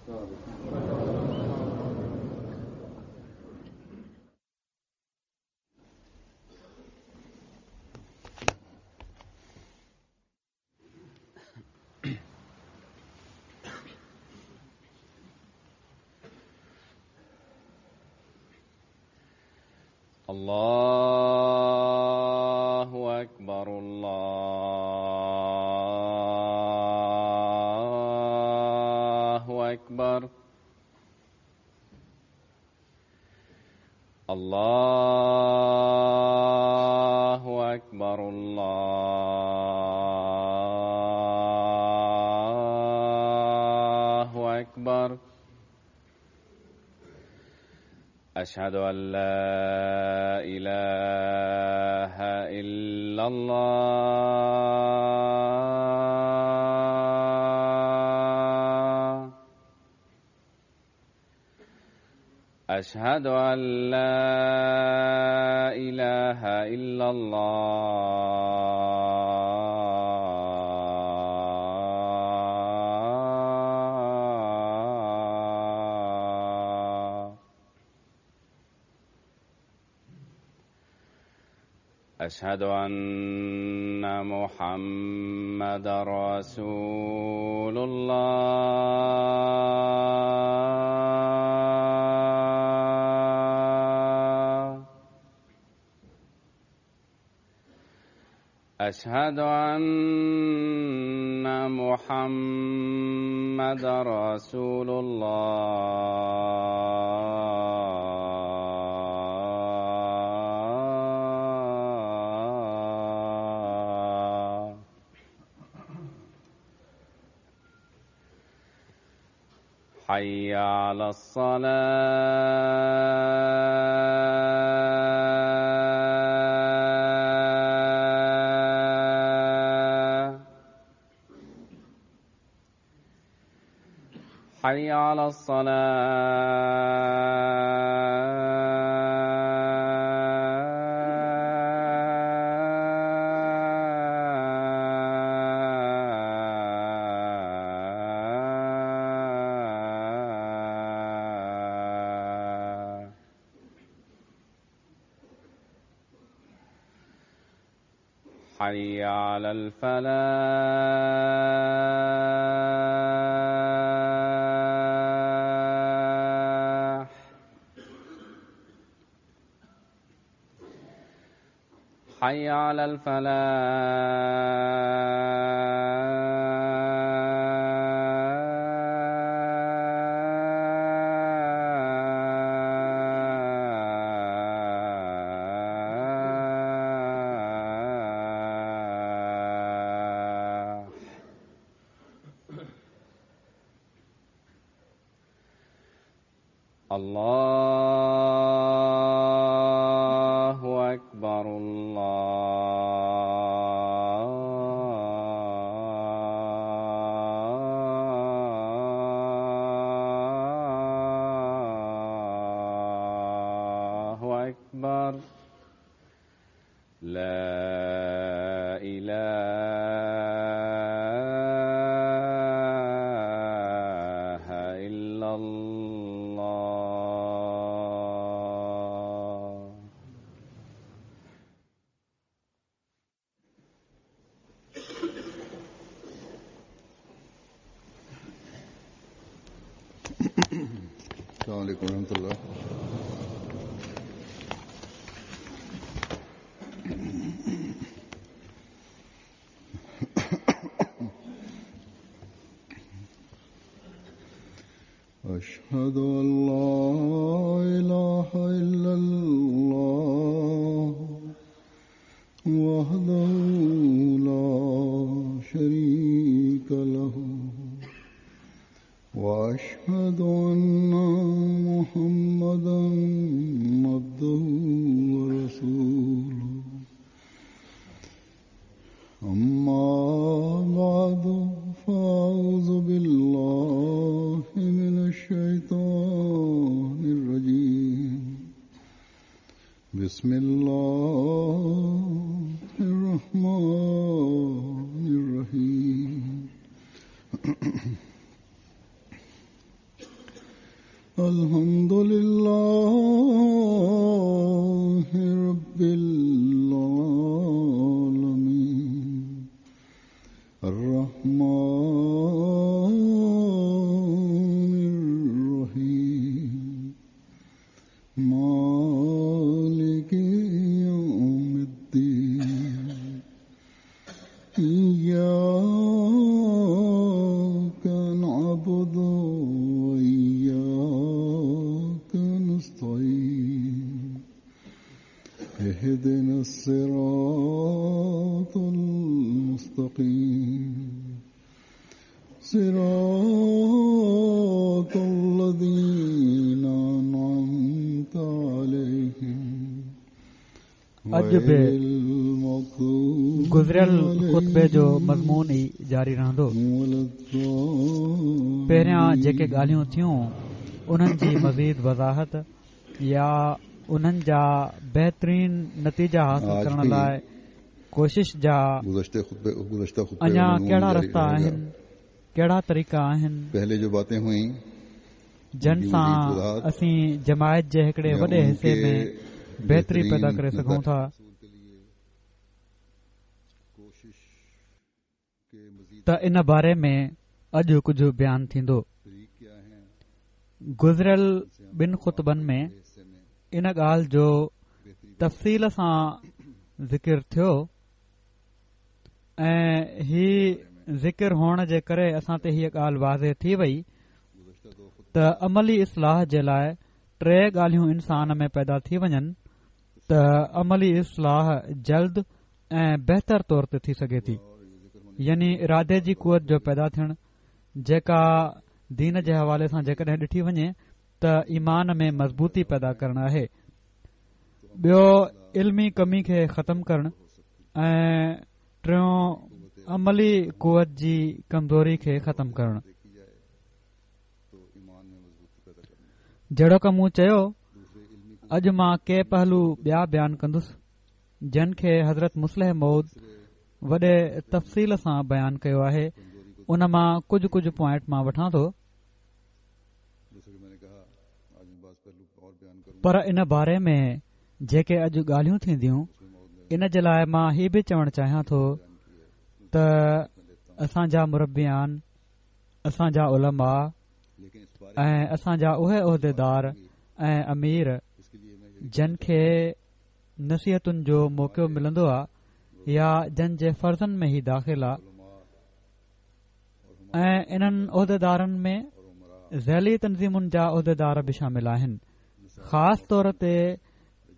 الله أكبر الله أكبر الله أكبر الله أكبر أشهد أن لا إله إلا الله أشهد أن لا إله إلا الله أشهد أن محمد رسول الله أشهد أن محمد رسول الله حي على الصلاة حي على الصلاة حي على الفلاح حي على الفلاح الله أكبر الله أكبر لا إله إلا الله. السلام عليكم ورحمة الله. أشهد أن لا إله إلا الله وحده لا شريك له وأشهد أن محمدا عبده ورسوله. أما بعد فأعوذ بالله من الشيطان الرجيم. بسم الله الرحمن الرحيم. إياك نعبد وإياك نستعين اهدنا الصراط المستقيم صراط الذين أنعمت عليهم اڄ به گذريل خطبي جو مضمون ئي جاري رهندو. پهريان جيڪي ڳالهيون ٿيون انهن جي مزيد وضاحت يا انهن جا بهترين نتيجا حاصل ڪرڻ لاء ڪوشش جا اڃا ڪهڙا رستا آهن، ڪهڙا طريقا آهن، جن سان اسين جماعت جي هڪڙي وڏي حصي ۾ بهتري پيدا ڪري سگهون ٿا. ته ان باري ۾ اڄ ڪجهه بيان ٿيندو. گذريل ٻن خطبن ۾ ان ڳالهه جو تفصيل سان ذڪر ٿيو ۽ هي ذڪر هئڻ جي ڪري اسان تي هيء ڳالهه واضح ٿي وئي ته عملي اصلاح جي لاء ٽي ڳالهيون انسان ۾ پيدا ٿي وڃن ته عملي اصلاح جلد ۽ بهتر طور تي ٿي سگهي ٿي يعني ارادي جي قوت جو پيدا ٿيڻ جيڪا دين جي حوالي سان جيڪڏهن ڏٺي وڃي ته ايمان ۾ مضبوطي پيدا ڪرڻ آهي ٻيو علمي ڪمي کي ختم ڪرڻ ۽ ٽيون عملي قوت جي ڪمزوري کي ختم ڪرڻ جهڙوڪ مون چيو اڄ مان ڪي پهلو ٻيا بيان ڪندس جن کي حضرت مصلح موعود وڏي تفصيل سان بيان ڪيو آهي ان مان ڪجهه ڪجهه پوائنٽ مان وٺان ٿو پر ان باري ۾ جيڪي اڄ ڳالهيون ٿينديون ان جي لاء مان هي به چوڻ چاهيان ٿو ته اسان جا مربيان اسان جا علماء ۽ اسان جا اهي عهديدار ۽ امير جن کي نصيحتن جو موقعو ملندو آ يا جن جي فرضن ۾ هي داخل آ ۽ انهن عهديدارن ۾ ذيلي تنظيمن جا عهديدار به شامل آهن خاص طور تي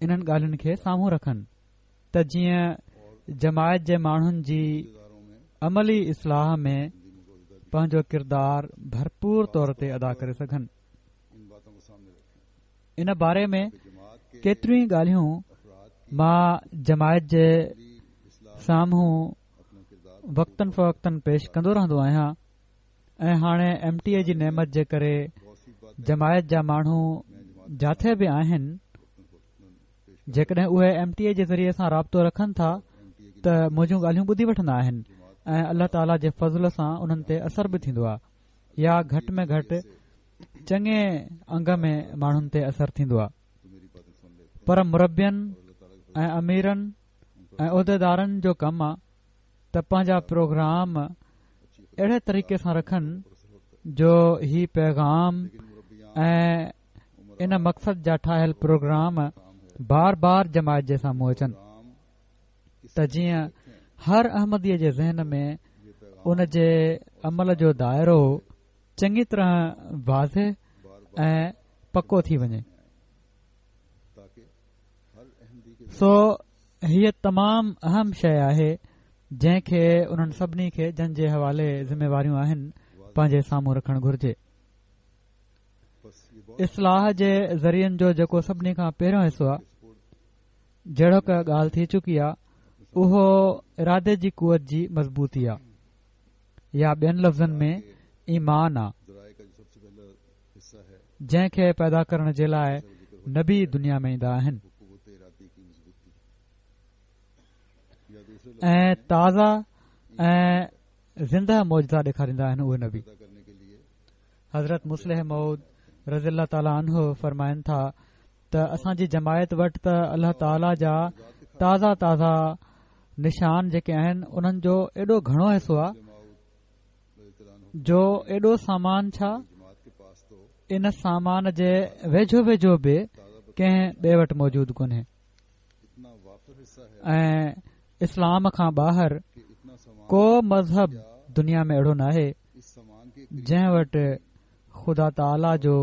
انهن ڳالهين کي سامهون رکن ته جيئن جماعت جي ماڻهن جي عملي اصلاح ۾ پنهنجو ڪردار ڀرپور طور تي ادا ڪري سگهن. ان باري ۾ ڪيتريون ئي ڳالهيون مان جماعت جي سامهون وقتاً فوقتاً پيش ڪندو رهندو آهيان ۽ هاڻي ايم ٽي اي جي نعمت جي ڪري جماعت جا ماڻهو جاٿي به آهن جيڪڏهن اهي ايم ٽي اي جي ذريعي سان رابطو رکن ٿا ته منهنجون ڳالهيون ٻڌي وٺندا آهن ۽ الله تعاليٰ جي فضل سان انهن تي اثر به ٿيندو آهي يا گهٽ ۾ گهٽ چڱي انگ ۾ ماڻهن تي اثر ٿيندو آهي پر مربين ۽ اميرن ۽ عهديدارن جو ڪم آ ته پنهنجا پروگرام اهڙي طريقي سان رکن جو هي پيغام ۽ ان مقصد جا ٺاهيل پروگرام بار بار جماعت جي سامهون اچن ته جيئن هر احمديء جي ذهن ۾ ان جي عمل جو دائرو چڱي طرح واضح ۽ پڪو ٿي وڃي. سو هيء تمام اهم شيء آهي جنهن کي انهن سڀني کي جن جي حوالي ذميواريون آهن پنهنجي سامهون رکڻ گهرجي. اصلاح جي ذريعن جو جيڪو سڀني کان پهريون حصو آهي جهڙوڪ ڳالهه ٿي چڪي آهي اهو ارادي جي قوت جي مضبوطي آهي يا ٻين لفظن ۾ ايمان آ جنهن کي پيدا ڪرڻ جي لاء نبي دنيا ۾ ايندا آهن ۽ تازا ۽ زنده معجزا ڏيکاريندا آهن اهي نبي حضرت مصلح موعود رضي الله تعاليٰ عنه فرمائن ٿا ته اسان جي جماعت وٽ ته الله تعاليٰ جا تازا تازا نشان جيڪي آهن انهن جو ايڏو گهڻو حصو آهي جو ايڏو سامان ڇا ان سامان جي ويجهو ويجهو به ڪنهن ٻئي وٽ موجود ڪونهي ۽ اسلام کان ٻاهر ڪو مذهب دنيا ۾ اهڙو ناهي جنهن وٽ خدا تعاليٰ جو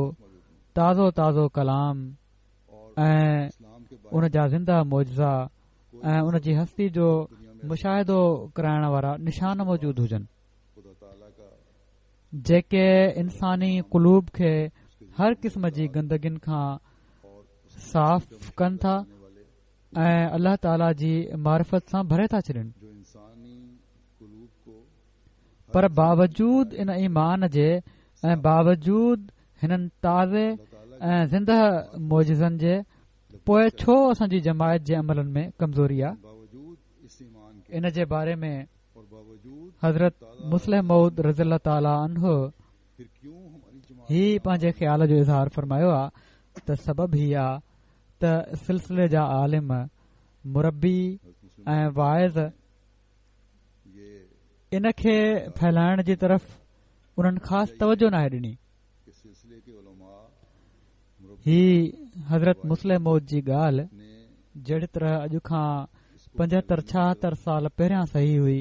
تازو تازو ڪلام ۽ ان جا زنده معجزا ۽ ان جي هستي جو مشاهدو ڪرائڻ وارا نشان موجود هجن جيڪي انساني قلوب کي هر قسم جي گندگين کان صاف ڪن ٿا ۽ الله تعاليٰ جي معرفت سان ڀري ٿا ڇڏين پر باوجود ان ايمان جي ۽ باوجود هنن تازي ۽ زنده معجزن جي پوء ڇو اسان جي جماعت جي عملن ۾ ڪمزوري آ؟ ان جي باري ۾ حضرت مصلح موعود رضي الله تعالٰي عنه هي پنهنجي خيال جو اظهار فرمايو آ ته سبب هي آ ته سلسلي جا عالم، مربي ۽ واعظ ان کي ڦهلائڻ جي طرف انهن خاص توجه ناهي ڏني. هي حضرت مصلح موعود جي ڳالهه جهڙي طرح اڄ کان پنجهتر ڇاهتر سال پهريان صحيح هئي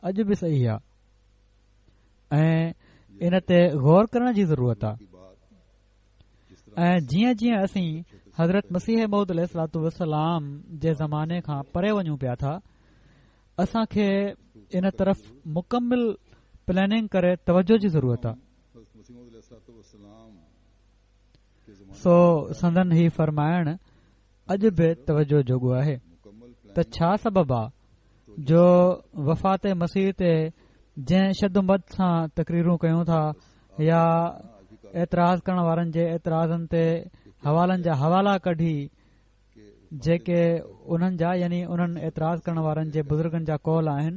اڄ به صحيح آهي ۽ ان تي غور ڪرڻ جي ضرورت آهي. ۽ جيئن جيئن اسين حضرت مسيح موعود عليه الصلوة والسلام جي زماني کان پري وڃون پيا ٿا اسان کي ان طرف مڪمل پلاننگ ڪري توجه جي ضرورت آهي سو سندن هي فرمائڻ اڄ به توجه جوڳو آهي ته ڇا سبب آ جو وفات مسيح تي جنهن شد مد سان تقريرون ڪيون ٿا يا اعتراض ڪرڻ وارن جي اعتراضن تي حوالن جا حوالا ڪڍي جيڪي انهن جا يعني انهن اعتراض ڪرڻ وارن جي بزرگن جا قول آهن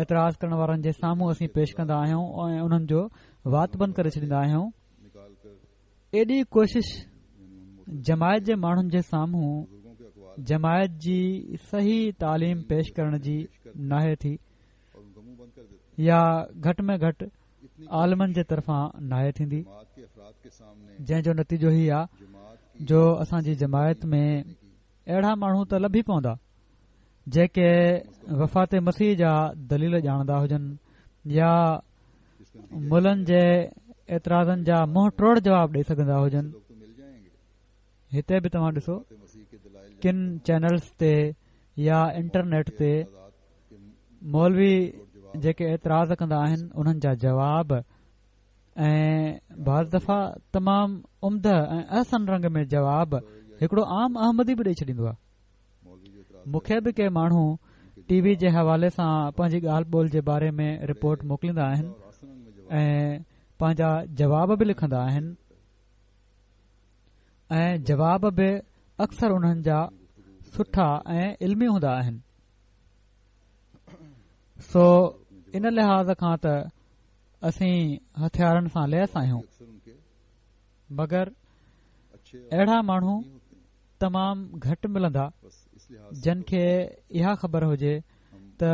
اعتراض ڪرڻ وارن جي سامهون اسين پيش ڪندا آهيون ۽ انهن جو وات بند ڪري ڇڏيندا آهيون ايڏي ڪوشش جماعت جي ماڻهن جي سامهون جماعت جي صحيح تعليم پيش ڪرڻ جي ناهي ٿي يا گهٽ ۾ گهٽ عالمن جي طرفان ناهي ٿيندي جنهن جو نتيجو هي آ جو اسان جي جماعت ۾ اهڙا ماڻهو ته لڀي پوندا جيڪي وفات مسيح جا دليل ڄاڻندا هجن يا ملن جي اعتراضن جا منهن ٽوڙ جواب ڏئي سگهندا هجن هتي به توهان ڏسو ڪن چينلز تي يا انٽرنيٽ تي مولوي جيڪي اعتراض ڪندا آهن انهن جا جواب ۽ بعض دفعا تمام عمده ۽ احسن رنگ ۾ جواب هڪڙو عام احمدي به ڏئي ڇڏيندو آهي مون کي به ڪي ماڻهو ٽي وي جي حوالي سان پنهنجي ڳالهه ٻولهه جي باري ۾ رپورٽ موڪليندا آهن ۽ پنهنجا جواب به لکندا آهن ۽ جواب به اڪثر انهن جا سٺا ۽ علمي هوندا آهن سو ان لحاظ کان ته اسين هٿيارن سان ليس آهيون مگر اهڙا ماڻهو تمام گهٽ ملندا جن کي اها خبر هجي ته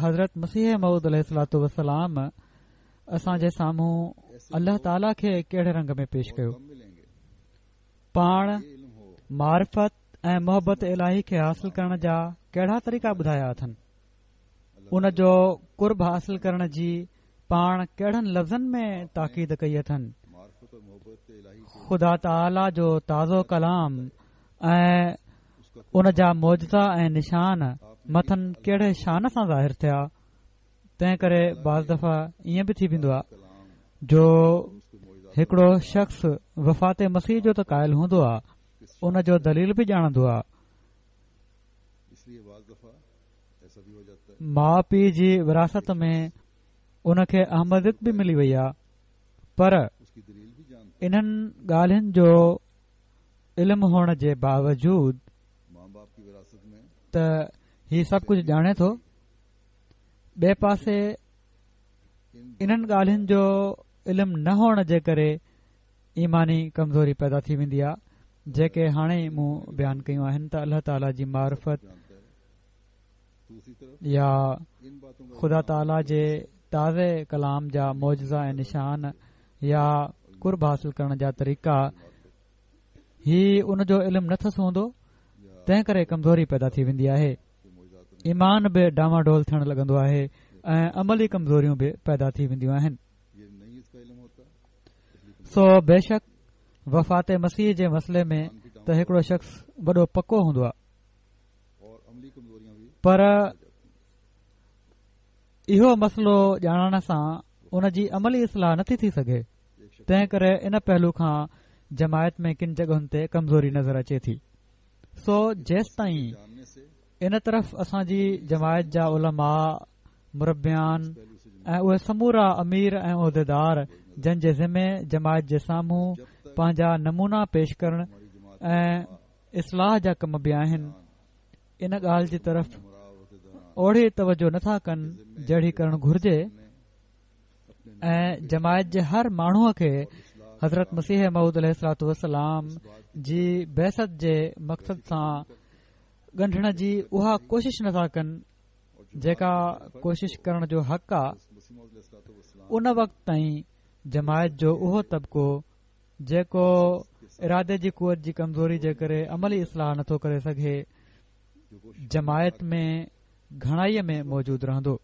حضرت مسيح موعود عليه الصلوة والسلام اسان جي سامهون الله تعاليٰ کي ڪهڙي رنگ ۾ پيش ڪيو پاڻ معرفت ۽ محبت الاهي کي حاصل ڪرڻ جا ڪهڙا طريقا ٻڌايا اٿن ان جو قرب حاصل ڪرڻ جي پاڻ ڪهڙن لفظن ۾ تاڪيد ڪئي اٿن؟ خدا تعاليٰ جو تازو ڪلام ۽ ان جا معجزا ۽ نشان مٿن ڪهڙي شان سان ظاهر ٿيا؟ تنهن ڪري بعض دفعا ائين به ٿي ويندو آهي جو هڪڙو شخص وفات مسيح جو ته قائل هوندو آهي ان جو دليل به ڄاڻندو آهي ماء پيء جي وراثت ۾ ان کي احمديت به ملي وئي آ پر انهن ڳالهين جو علم هئڻ جي باوجود ته هي سڀ ڪجهه ڄاڻي ٿو ٻئي پاسي انهن ڳالهين جو علم نه هئڻ جي ڪري ايماني ڪمزوري پيدا ٿي ويندي آ جيڪي هاڻي مون بيان ڪيون آهن ته الله تعالي جي معرفت يا خدا تعالي جي تازي ڪلام جا معجزا ۽ نشان يا قرب حاصل ڪرڻ جا طريقا هي ان جو علم نه ٿس هوندو تنهن ڪري ڪمزوري پيدا ٿي ويندي آهي ايمان به ڊانواڊول ٿيڻ لڳندو آهي. ۽ عملي ڪمزوريون به پيدا ٿي وينديون آهن. سو بيشڪ وفات مسيح جي مسئلي ۾ ته هڪڙو شخص وڏو پڪو هوندو آهي پر اهو مسئلو ڄاڻڻ سان ان جي عملي اصلاح نٿي ٿي سگهي تنهن ڪري ان پهلو کان جماعت ۾ ڪن جڳهن تي ڪمزوري نظر اچي ٿي سو جيستائين ان طرف اسان جي جماعت جا علماء مربيان ۽ اهي سمورا امير ۽ عهديدار جن جي ذمي جماعت جي سامهون پنهنجا نمونا پيش ڪرڻ ۽ اصلاح جا ڪم به آهن ان ڳالهه جي طرف اوڙي توجه نٿا ڪن جهڙي ڪرڻ گهرجي ۽ جماعت جي هر ماڻهوء کي حضرت مسيح موعود عليه الصلوة والسلام جي بعثت جي مقصد سان ڳنڍڻ جي اها ڪوشش نٿا ڪن جيڪا ڪوشش ڪرڻ جو حق آ ان وقت تائين جماعت جو اهو طبقو جيڪو ارادي جي قوت جي ڪمزوري جي ڪري عملي اصلاح نٿو ڪري سگهي جماعت ۾ گهڻائي ۾ موجود رهندو.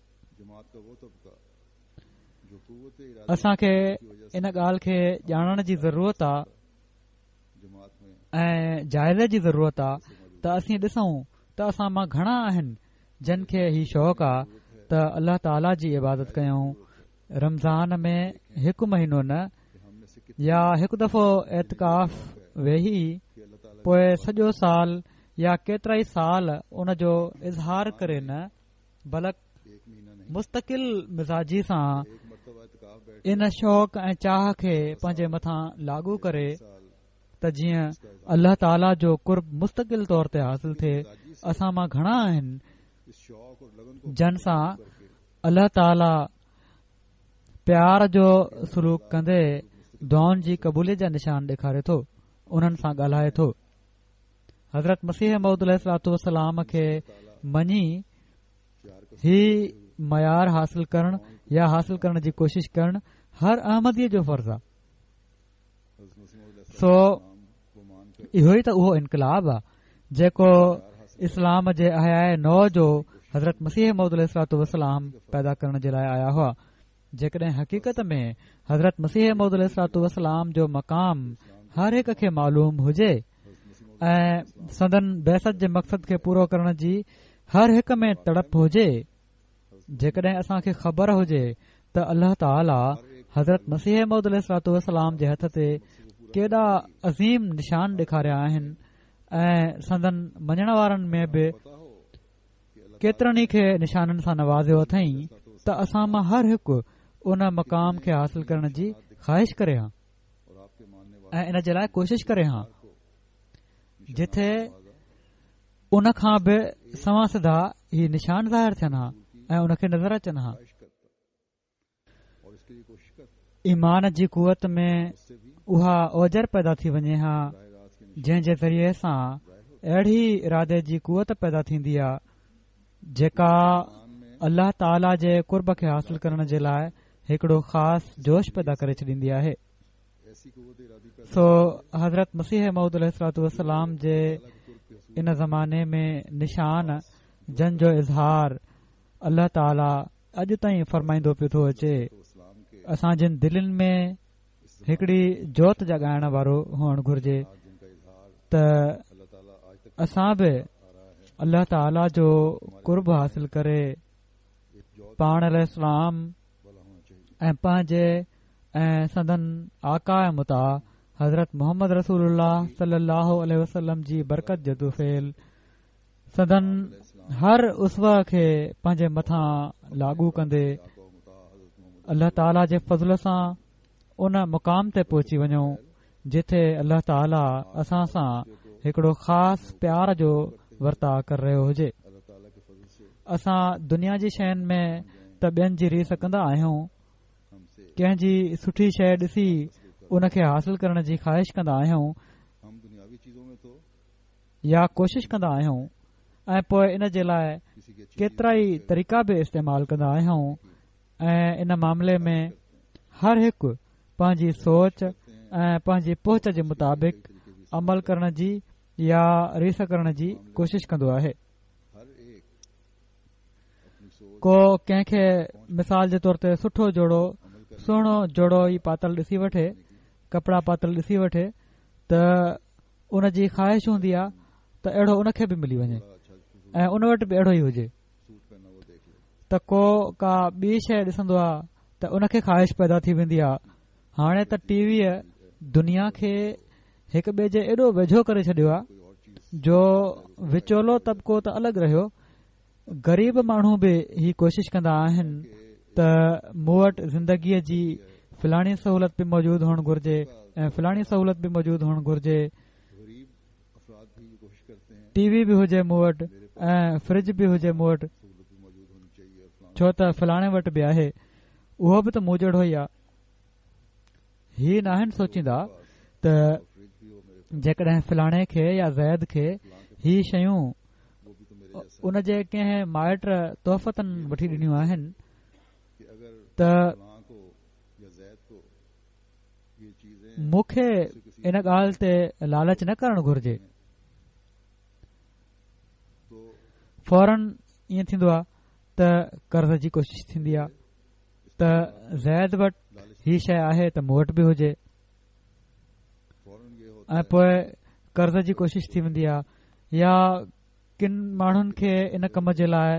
اسان کي ان ڳالهه کي ڄاڻڻ جي ضرورت آ ۽ جائزي جي ضرورت آ ته اسين ڏسون ته اسان مان گهڻا آهن جن کي هي شوق آ ته الله تعاليٰ جي عبادت ڪيون رمضان ۾ هڪ مهينو نه يا هڪ دفعو اعتڪاف ويهي پوء سڄو سال يا ڪيترائي سال ان جو اظهار ڪري نه بلڪ مستقل مزاجي سان ان شوق ۽ چاهه کي پنهنجي مٿان لاڳو ڪري ته جيئن الله تعاليٰ جو قرب مستقل طور تي حاصل ٿئي اسان مان گهڻا آهن جن سان الله تعاليٰ پيار جو سلوڪ ڪندي دعائن جي قبوليت جا نشان ڏيکاري ٿو انهن سان ڳالهائي ٿو حضرت مسيح موعود عليه الصلوة والسلام کي مڃي هي معيار حاصل ڪرڻ يا حاصل ڪرڻ جي ڪوشش ڪرڻ هر احمدي جو فرض آهي سو اهو ئي ته اهو انقلاب آهي جيڪو اسلام جي احياء نو جو حضرت مسيح موعود عليه الصلوة والسلام پيدا ڪرڻ جي لاء آيا هئا جيڪڏهن حقيقت ۾ حضرت مسيح موعود عليه الصلوة والسلام جو مقام هر هڪ کي معلوم هجي ۽ سندن بعثت جي مقصد کي پورو ڪرڻ جي هر هڪ ۾ تڙپ هجي جيڪڏهن اسان کي خبر هجي ته الله تعاليٰ حضرت مسيح موعود عليه الصلوة والسلام جي هٿ تي ڪيڏا عظيم نشان ڏيکاريا آهن ۽ سندن مڃڻ وارن ۾ به ڪيترن ئي کي نشانن سان نوازيو اٿئين ته اسان مان هر هڪ ان مقام کي حاصل ڪرڻ جي خواهش ڪري ها ۽ ان جي لاء ڪوشش ڪري ها جتي ان کان به سنوان سڌا هي نشان ظاهر ٿين ها ۽ ان کي نظر اچن ها ايمان جي قوت ۾ اها اوجر پيدا ٿي وڃي ها جنهن جي ذريعي سان اهڙي ارادي جي قوت پيدا ٿيندي آ جيڪا الله تعاليٰ جي قرب کي حاصل ڪرڻ جي لاء هڪڙو خاص جوش پيدا ڪري ڇڏيندي آهي سو حضرت مسيح موعود عليه الصلوة والسلام جي ان زماني ۾ نشان جن جو اظهار الله تعاليٰ اڄ تائين فرمائيندو پيو ٿو اچي اسان جن دلين ۾ هڪڙي جوت جاڳائڻ وارو هئڻ گهرجي ته اسان به الله تعاليٰ جو قرب حاصل ڪري پاڻ عليه السلام ۽ پنهنجي ۽ سندن آقا ۽ مطاع حضرت محمد رسول الله صلي الله عليه وسلم جي برڪت جي طفيل سندن هر اسوه کي پنهنجي مٿان لاڳو ڪندي الله تعاليٰ جي فضل سان ان مقام تي پهچي وڃون جتي الله تعاليٰ اسان سان هڪڙو خاص پيار جو ورتاء ڪري رهيو هجي اسان دنيا جي شين ۾ ته ٻين جي ريس ڪندا آهيون ڪنهن جي سٺي شيء ڏسي ان کي حاصل ڪرڻ جي خواهش ڪندا آهيون يا ڪوشش ڪندا آهيون ۽ پوء ان جي لاء ڪيترائي طريقا به استعمال ڪندا آهيون ۽ ان معاملي ۾ هر هڪ پنهنجي سوچ ۽ پنهنجي پهچ جي مطابق عمل ڪرڻ جي يا ريس ڪرڻ جي ڪوشش ڪندو آهي. ڪو ڪنهن کي مثال جي طور تي سٺو جوڙو، سهڻو جوڙو ئي پاتل ڏسي وٺي، ڪپڙا پاتل ڏسي وٺي ته ان جي خواهش هوندي آهي ته اهڙو ان کي به ملي وڃي ۽ ان وٽ به اهڙو ئي هجي ته ڪو ڪا ٻي شيء ڏسندو آهي ته ان کي خواهش پيدا ٿي ويندي آهي. هاڻي ته ٽي ويء دنيا کي هڪ ٻئي جي ايڏو ويجهو ڪري ڇڏيو آهي جو وچولو طبقو ته الڳ رهيو، غريب ماڻهو به هي ڪوشش ڪندا آهن ته مون وٽ زندگيء جي فلاڻي سهولت به موجود هئڻ گهرجي ۽ فلاڻي سهولت به موجود هئڻ گهرجي. ٽي وي به هجي مون وٽ ۽ فرج به هجي مون وٽ، ڇو ته فلاڻي وٽ به آهي، اهو به ته مون جهڙو ئي آ. هي ناهن سوچيندا ته جيڪڏهن فلاڻي کي يا زيد کي هي شيون ان جي ڪنهن مائٽ تحفتاً وٺي ڏنيون آهن ته مون کي ان ڳالهه تي لالچ نه ڪرڻ گهرجي. فورن ائين ٿيندو آهي ته قرض جي ڪوشش ٿيندي آهي ته زيد وٽ هي شيء آهي ته مون وٽ به هجي ۽ پوء قرض جي ڪوشش ٿي ويندي آهي يا ڪن ماڻهن کي ان ڪم جي لاء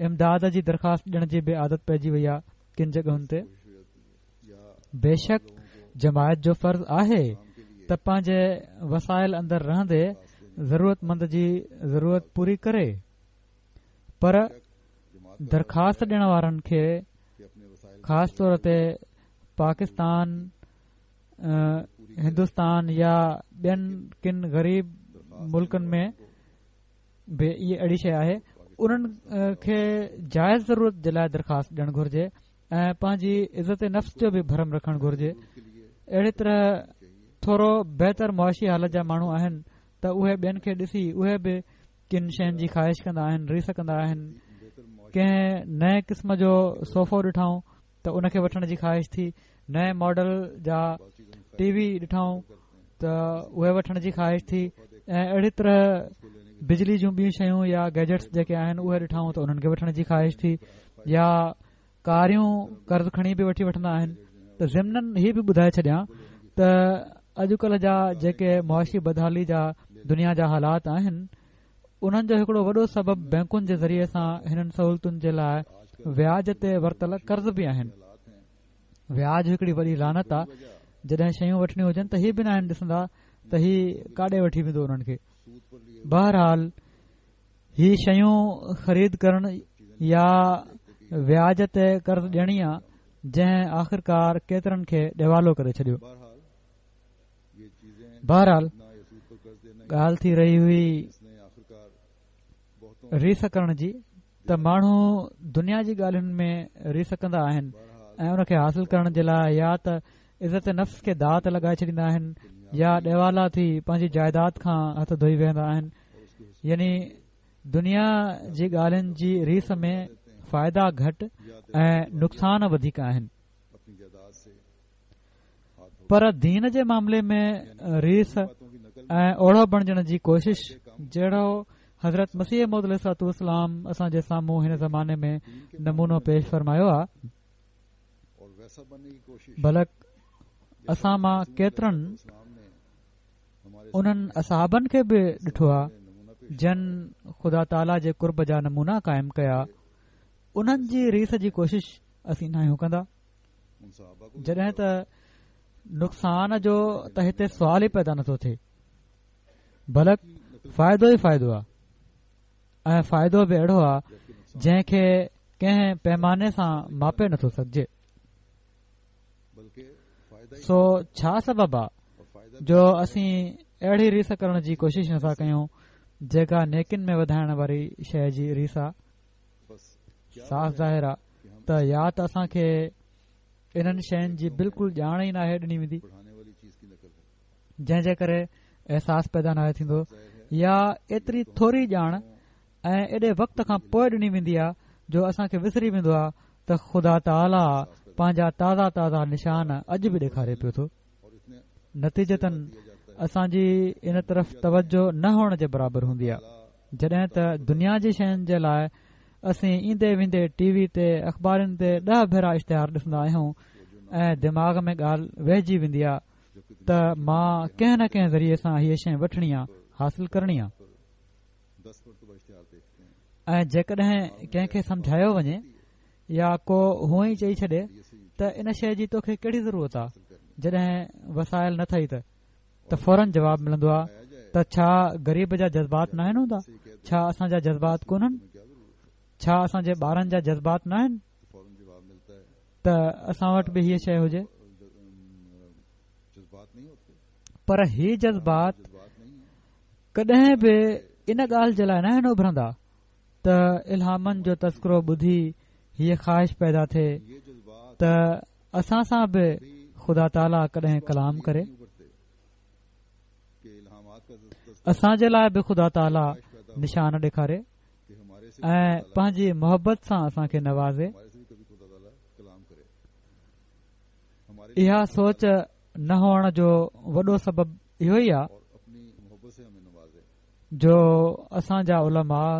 امداد جي درخواست ڏيڻ جي به عادت پئجي وئي آهي ڪن جڳهن تي. بيشڪ جماعت جو فرض آهي ته پنهنجي وسائل اندر رهندي ضرورتمند جي ضرورت پوري ڪري پر درخواست ڏيڻ وارن کي خاص طور تي پاڪستان هندستان يا ٻين ڪن غريب ملڪن ۾ به اهي اهڙي شيء آهي انهن کي جائز ضرورت جي لاء درخواست ڏيڻ گهرجي ۽ پنهنجي عزت نفس جو به ڀرم رکڻ گهرجي اهڙي طرح ٿورو بهتر معاشي حالت جا ماڻهو آهن ته اهي ٻين کي ڏسي اهي به ڪن شين جي خواهش ڪندا آهن، ريس ڪندا آهن، ڪنهن نئين قسم جو صوفو ڏٺائون ته ان کي وٺڻ جي خواهش ٿي، نئين ماڊل جا ٽي وي ڏٺائون ته اهي وٺڻ جي خواهش ٿي ۽ اهڙي طرح بجلي جون ٻيون شيون يا گيجيٽس جيڪي آهن اهي ڏٺائون ته انهن کي وٺڻ جي خواهش ٿي يا ڪاريون قرض کڻي به وٺي وٺندا آهن ته ضمناً هي به ٻڌائي ڇڏيان ته اڄڪلهه جا جيڪي معاشي بدحالي جا دنيا جا حالات آهن انهن جو هڪڙو وڏو سبب بئنڪن جي ذريعي سان هنن سهولتن جي لاء وياج تي ورتل قرض به آهن. وياج هڪڙي وڏي لعنت آ جڏهن شيون وٺڻيون هجن ته هي به ناهن ڏسندا ته هي ڪاڏي وٺي ويندو انهن کي. بهرحال هي شيون خريد ڪرڻ يا وياج تي قرض ڏيڻي آ جنهن آخرڪار ڪيترن کي ڏيوالو ڪري ڇڏيو. بهرحال ڳالهه ٿي رهي هئي ريس ڪرڻ جي ته ماڻهو دنيا جي ڳالهين ۾ ريس ڪندا آهن ۽ ان کي حاصل ڪرڻ جي لاء يا ته عزت نفس کي داء تي لڳائي ڇڏيندا آهن يا ڏيوالا ٿي پنهنجي جائيداد کان هٿ ڌوئي ويهندا آهن يعني دنيا جي ڳالهين جي ريس ۾ فائدا گهٽ ۽ نقصان وڌيڪ آهن. پر دين جي معاملي ۾ ريس ۽ اوڙو بڻجڻ جي ڪوشش جهڙو حضرت مسيح موعود عليه الصلوة والسلام اسان جي سامهون هن زماني ۾ نمونو پيش فرمايو آهي بلڪ اسان مان ڪيترن انهن اصحابن کي به ڏٺو آهي جن خدا تعاليٰ جي قرب جا نمونا قائم ڪيا انهن جي ريس جي ڪوشش اسين ناهيون ڪندا جڏهن ته نقصان جو ته هتي سوال ئي پيدا نٿو ٿئي بلڪ فائدو ئي فائدو آهي ۽ فائدو به اهڙو آهي جنهن کي ڪنهن پيماني سان ماپي نٿو سگهجي سو ڇا سبب آ جو اسين اهڙي ريس ڪرڻ جي ڪوشش نٿا ڪيون جيڪا نيڪين ۾ وڌائڻ واري شيء جي ريس آ صاف ظاهر آ ته يا ته اسان کي انهن شين جي بلڪل ڄاڻ ئي ناهي ڏني ويندي جنهن جي ڪري احساس پيدا ناهي ٿيندو يا ايتري ٿوري ڄاڻ ۽ ايڏي وقت کان پوء ڏني ويندي آ جو اسان کي وسري ويندو آ ته خدا تعاليٰ پنهنجا تازا تازا نشان اڄ به ڏيکاري پيو ٿو نتيجتاً اسان جي ان طرف توجه نه هئڻ جي برابر هوندي آ جڏهن ته دنيا جي شين جي لاء اسين ايندي ويندي ٽي وي تي اخبارن تي ڏهه ڀيرا اشتهار ڏسندا آهيون ۽ دماغ ۾ ڳالهه ويهجي ويندي آ ته مان ڪنهن نه ڪنهن ذريعي سان هيء شيء وٺڻي آ، حاصل ڪرڻي آ. ۽ جيڪڏهن ڪنهن کي سمجهايو وڃي يا ڪو هونئن ئي چئي ڇڏي ته ان شيء جي توکي ڪهڙي ضرورت آ جڏهن وسائل نه ٿئي ته فورن جواب ملندو آ ته ڇا غريب جا جذبات ناهن هوندا؟ ڇا اسان جا جذبات ڪونهن؟ ڇا اسان جي ٻارن جا جذبات ناهن ته اسان وٽ به هيء شيء هجي؟ پر هي جذبات ڪڏهن به ان ڳالهه جي لاء ناهن اڀرندا ته الهامن جو تذڪرو ٻڌي هيء خواهش پيدا ٿئي ته اسان سان به خدا تعاليٰ ڪڏهن ڪلام ڪري اسان جي لاء به خدا تعاليٰ نشان ڏيکاري ۽ پنهنجي محبت سان اسان کي نوازي اها سوچ نه هئڻ جو وڏو سبب اهو ئي آهي جو اسان جا علماء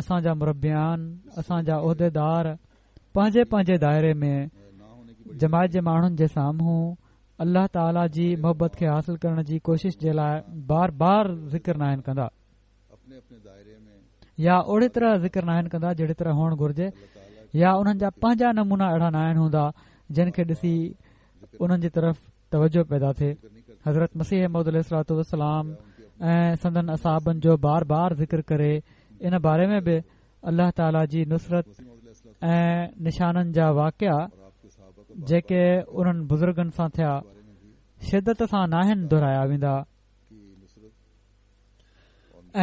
اسان جا مربيان اسان جا عهديدار پنهنجي پنهنجي دائري ۾ جماعت جي ماڻهن جي سامهون الله تعالي جي محبت کي حاصل ڪرڻ جي ڪوشش جي لاء بار بار ذڪر ناهن ڪندا يا اهڙي طرح ذڪر ناهن ڪندا جهڙي طرح هئڻ گهرجي يا انهن جا پنهنجا نمونا اهڙا ناهن هوندا جن کي ڏسي انهن جي طرف توجه پيدا ٿئي حضرت مسيح موعود عليه الصلوة والسلام ۽ سندن اصحابن جو بار بار ذڪر ڪري ان باري ۾ به الله تعالي جي نصرت ۽ نشانن جا واقعا جيڪي انهن بزرگن سان ٿيا شدت سان ناهن دهرايا ويندا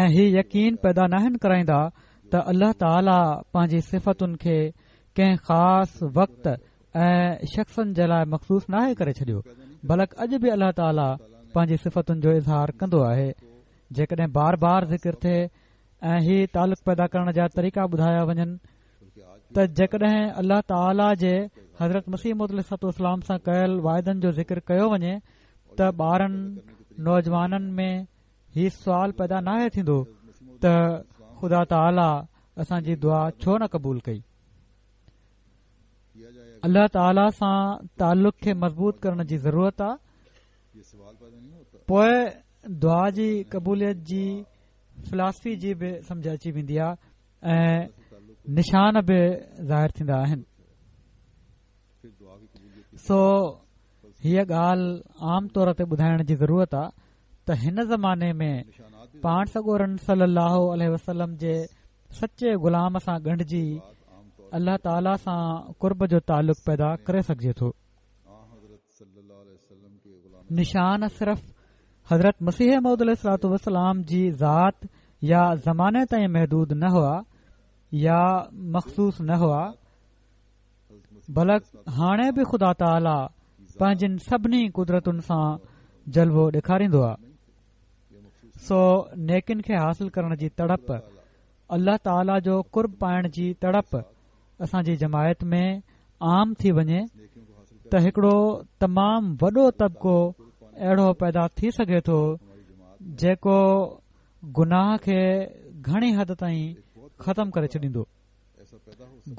۽ هي يقين پيدا ناهن ڪرائيندا ته الله تعالي پنهنجي صفتن کي ڪنهن خاص وقت ۽ شخصن جي لاء مخصوص ناهي ڪري ڇڏيو بلڪ اڄ به الله تعالي پنهنجي صفتن جو اظهار ڪندو آهي جيڪڏهن بار بار ذڪر ٿئي ۽ هي تعلق پيدا ڪرڻ جا طريقا ٻڌايا وڃن ته جيڪڏهن الله تعالي جي حضرت مسيح موعود عليه الصلوة والسلام سان ڪيل واعدن جو ذڪر ڪيو وڃي ته ٻارن نوجوانن ۾ هي سوال پيدا ناهي ٿيندو ته خدا تعالي اسان جي دعا ڇو نه قبول ڪئي الله تعالي سان تعلق کي مضبوط ڪرڻ جي ضرورت آ پوء دعا جي قبوليت جي فلاسفي جي به سمجه اچي ويندي آ ۽ نشان به ظاهر ٿيندا آهن سو هيء ڳالهه عام طور تي ٻڌائڻ جي ضرورت آ ته هن زماني ۾ پاڻ سڳورن صلي الله عليه وسلم جي سچي غلام سان ڳنڍجي الله تعالي سان قرب جو تعلق پيدا ڪري سگهجي ٿو. نشان صرف حضرت مسيح موعود عليه الصلوة والسلام جي ذات يا زماني تائين محدود نه هئا يا مخصوص نه هئا بلڪ هاڻي به خدا تعاليٰ پنهنجين سڀني قدرتن سان جلوو ڏيکاريندو آهي سو نيڪين کي حاصل ڪرڻ جي تڙپ الله تعاليٰ جو قرب پائڻ جي تڙپ اسان جي جماعت ۾ عام ٿي وڃي ته هڪڙو تمام وڏو طبقو اهڙو پيدا ٿي سگهي ٿو جيڪو گناهه کي گهڻي حد تائين ختم ڪري ڇڏيندو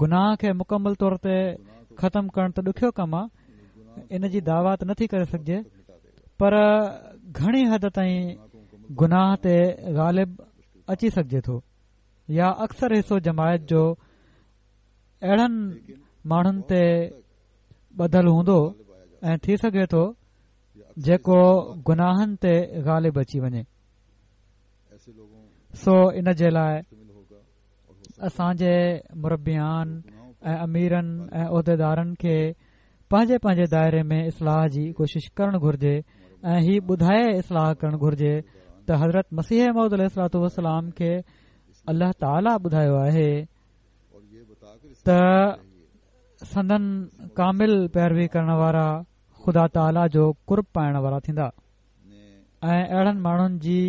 گناهه کي مڪمل طور تي ختم ڪرڻ ته ڏکيو ڪم آهي ان جي دعويٰ ته نٿي ڪري سگهجي پر گهڻي حد تائين گناهه تي غالب اچي سگهجي ٿو يا اڪثر حصو جماعت جو اهڙن ماڻهن تي ٻڌل هوندو ۽ ٿي سگهي ٿو جيڪو گناهن تي غالب اچي وڃي سو ان جي لاء اسان جي مربيان ۽ اميرن ۽ عهديدارن کي پنهنجي پنهنجي دائري ۾ اصلاح جي ڪوشش ڪرڻ گهرجي ۽ هي ٻڌائي اصلاح ڪرڻ گهرجي ته حضرت مسيح موعود عليه الصلوة والسلام کي الله تعاليٰ ٻڌايو آهي ته سندن ڪامل پيروي ڪرڻ وارا خدا تعاليٰ جو قرب پائڻ وارا ٿيندا ۽ اهڙن ماڻهن جي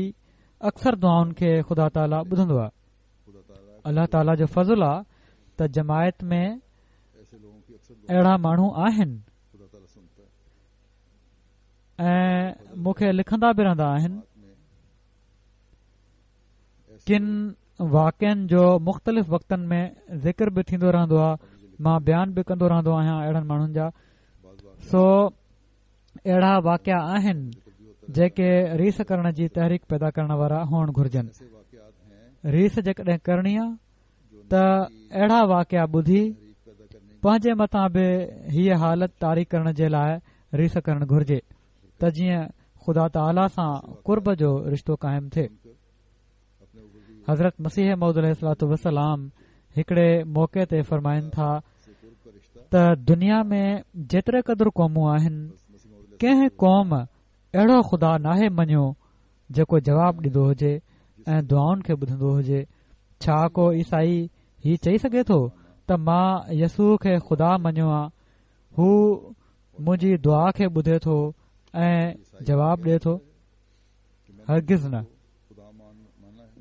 اڪثر دعائن کي خدا تعاليٰ ٻڌندو آهي الله تعاليٰ جو فضل آ ته جماعت ۾ اهڙا ماڻهو آهن ۽ مون کي لکندا به رهندا آهن ڪن واقعن جو مختلف وقتن ۾ ذڪر به ٿيندو رهندو آهي، مان بيان به ڪندو رهندو آهيان اهڙن ماڻهن جا. سو اهڙا واقعا آهن جيڪي ريس ڪرڻ جي تحريڪ پيدا ڪرڻ وارا هئڻ گهرجن. ريس جيڪڏهن ڪرڻي آ ته اهڙا واقعا ٻڌي پنهنجي مٿان به هيء حالت طاري ڪرڻ جي لاء ريس ڪرڻ گهرجي ته جيئن خدا تعاليٰ سان قرب جو رشتو قائم ٿئي. حضرت مسيح موعود عليه الصلوة والسلام هڪڙي موقعي تي فرمائن ٿا ته دنيا ۾ جيتري قدر قومون آهن ڪنهن قوم اهڙو خدا ناهي مڃيو جيڪو جواب ڏيندو هجي ۽ دعائن کي ٻڌندو هجي ڇا ڪو عيسائي هي چئي سگهي ٿو ته مان يسوع کي خدا مڃيو آ هو منهنجي دعا کي ٻڌي ٿو ۽ جواب ڏي ٿو هرگز نه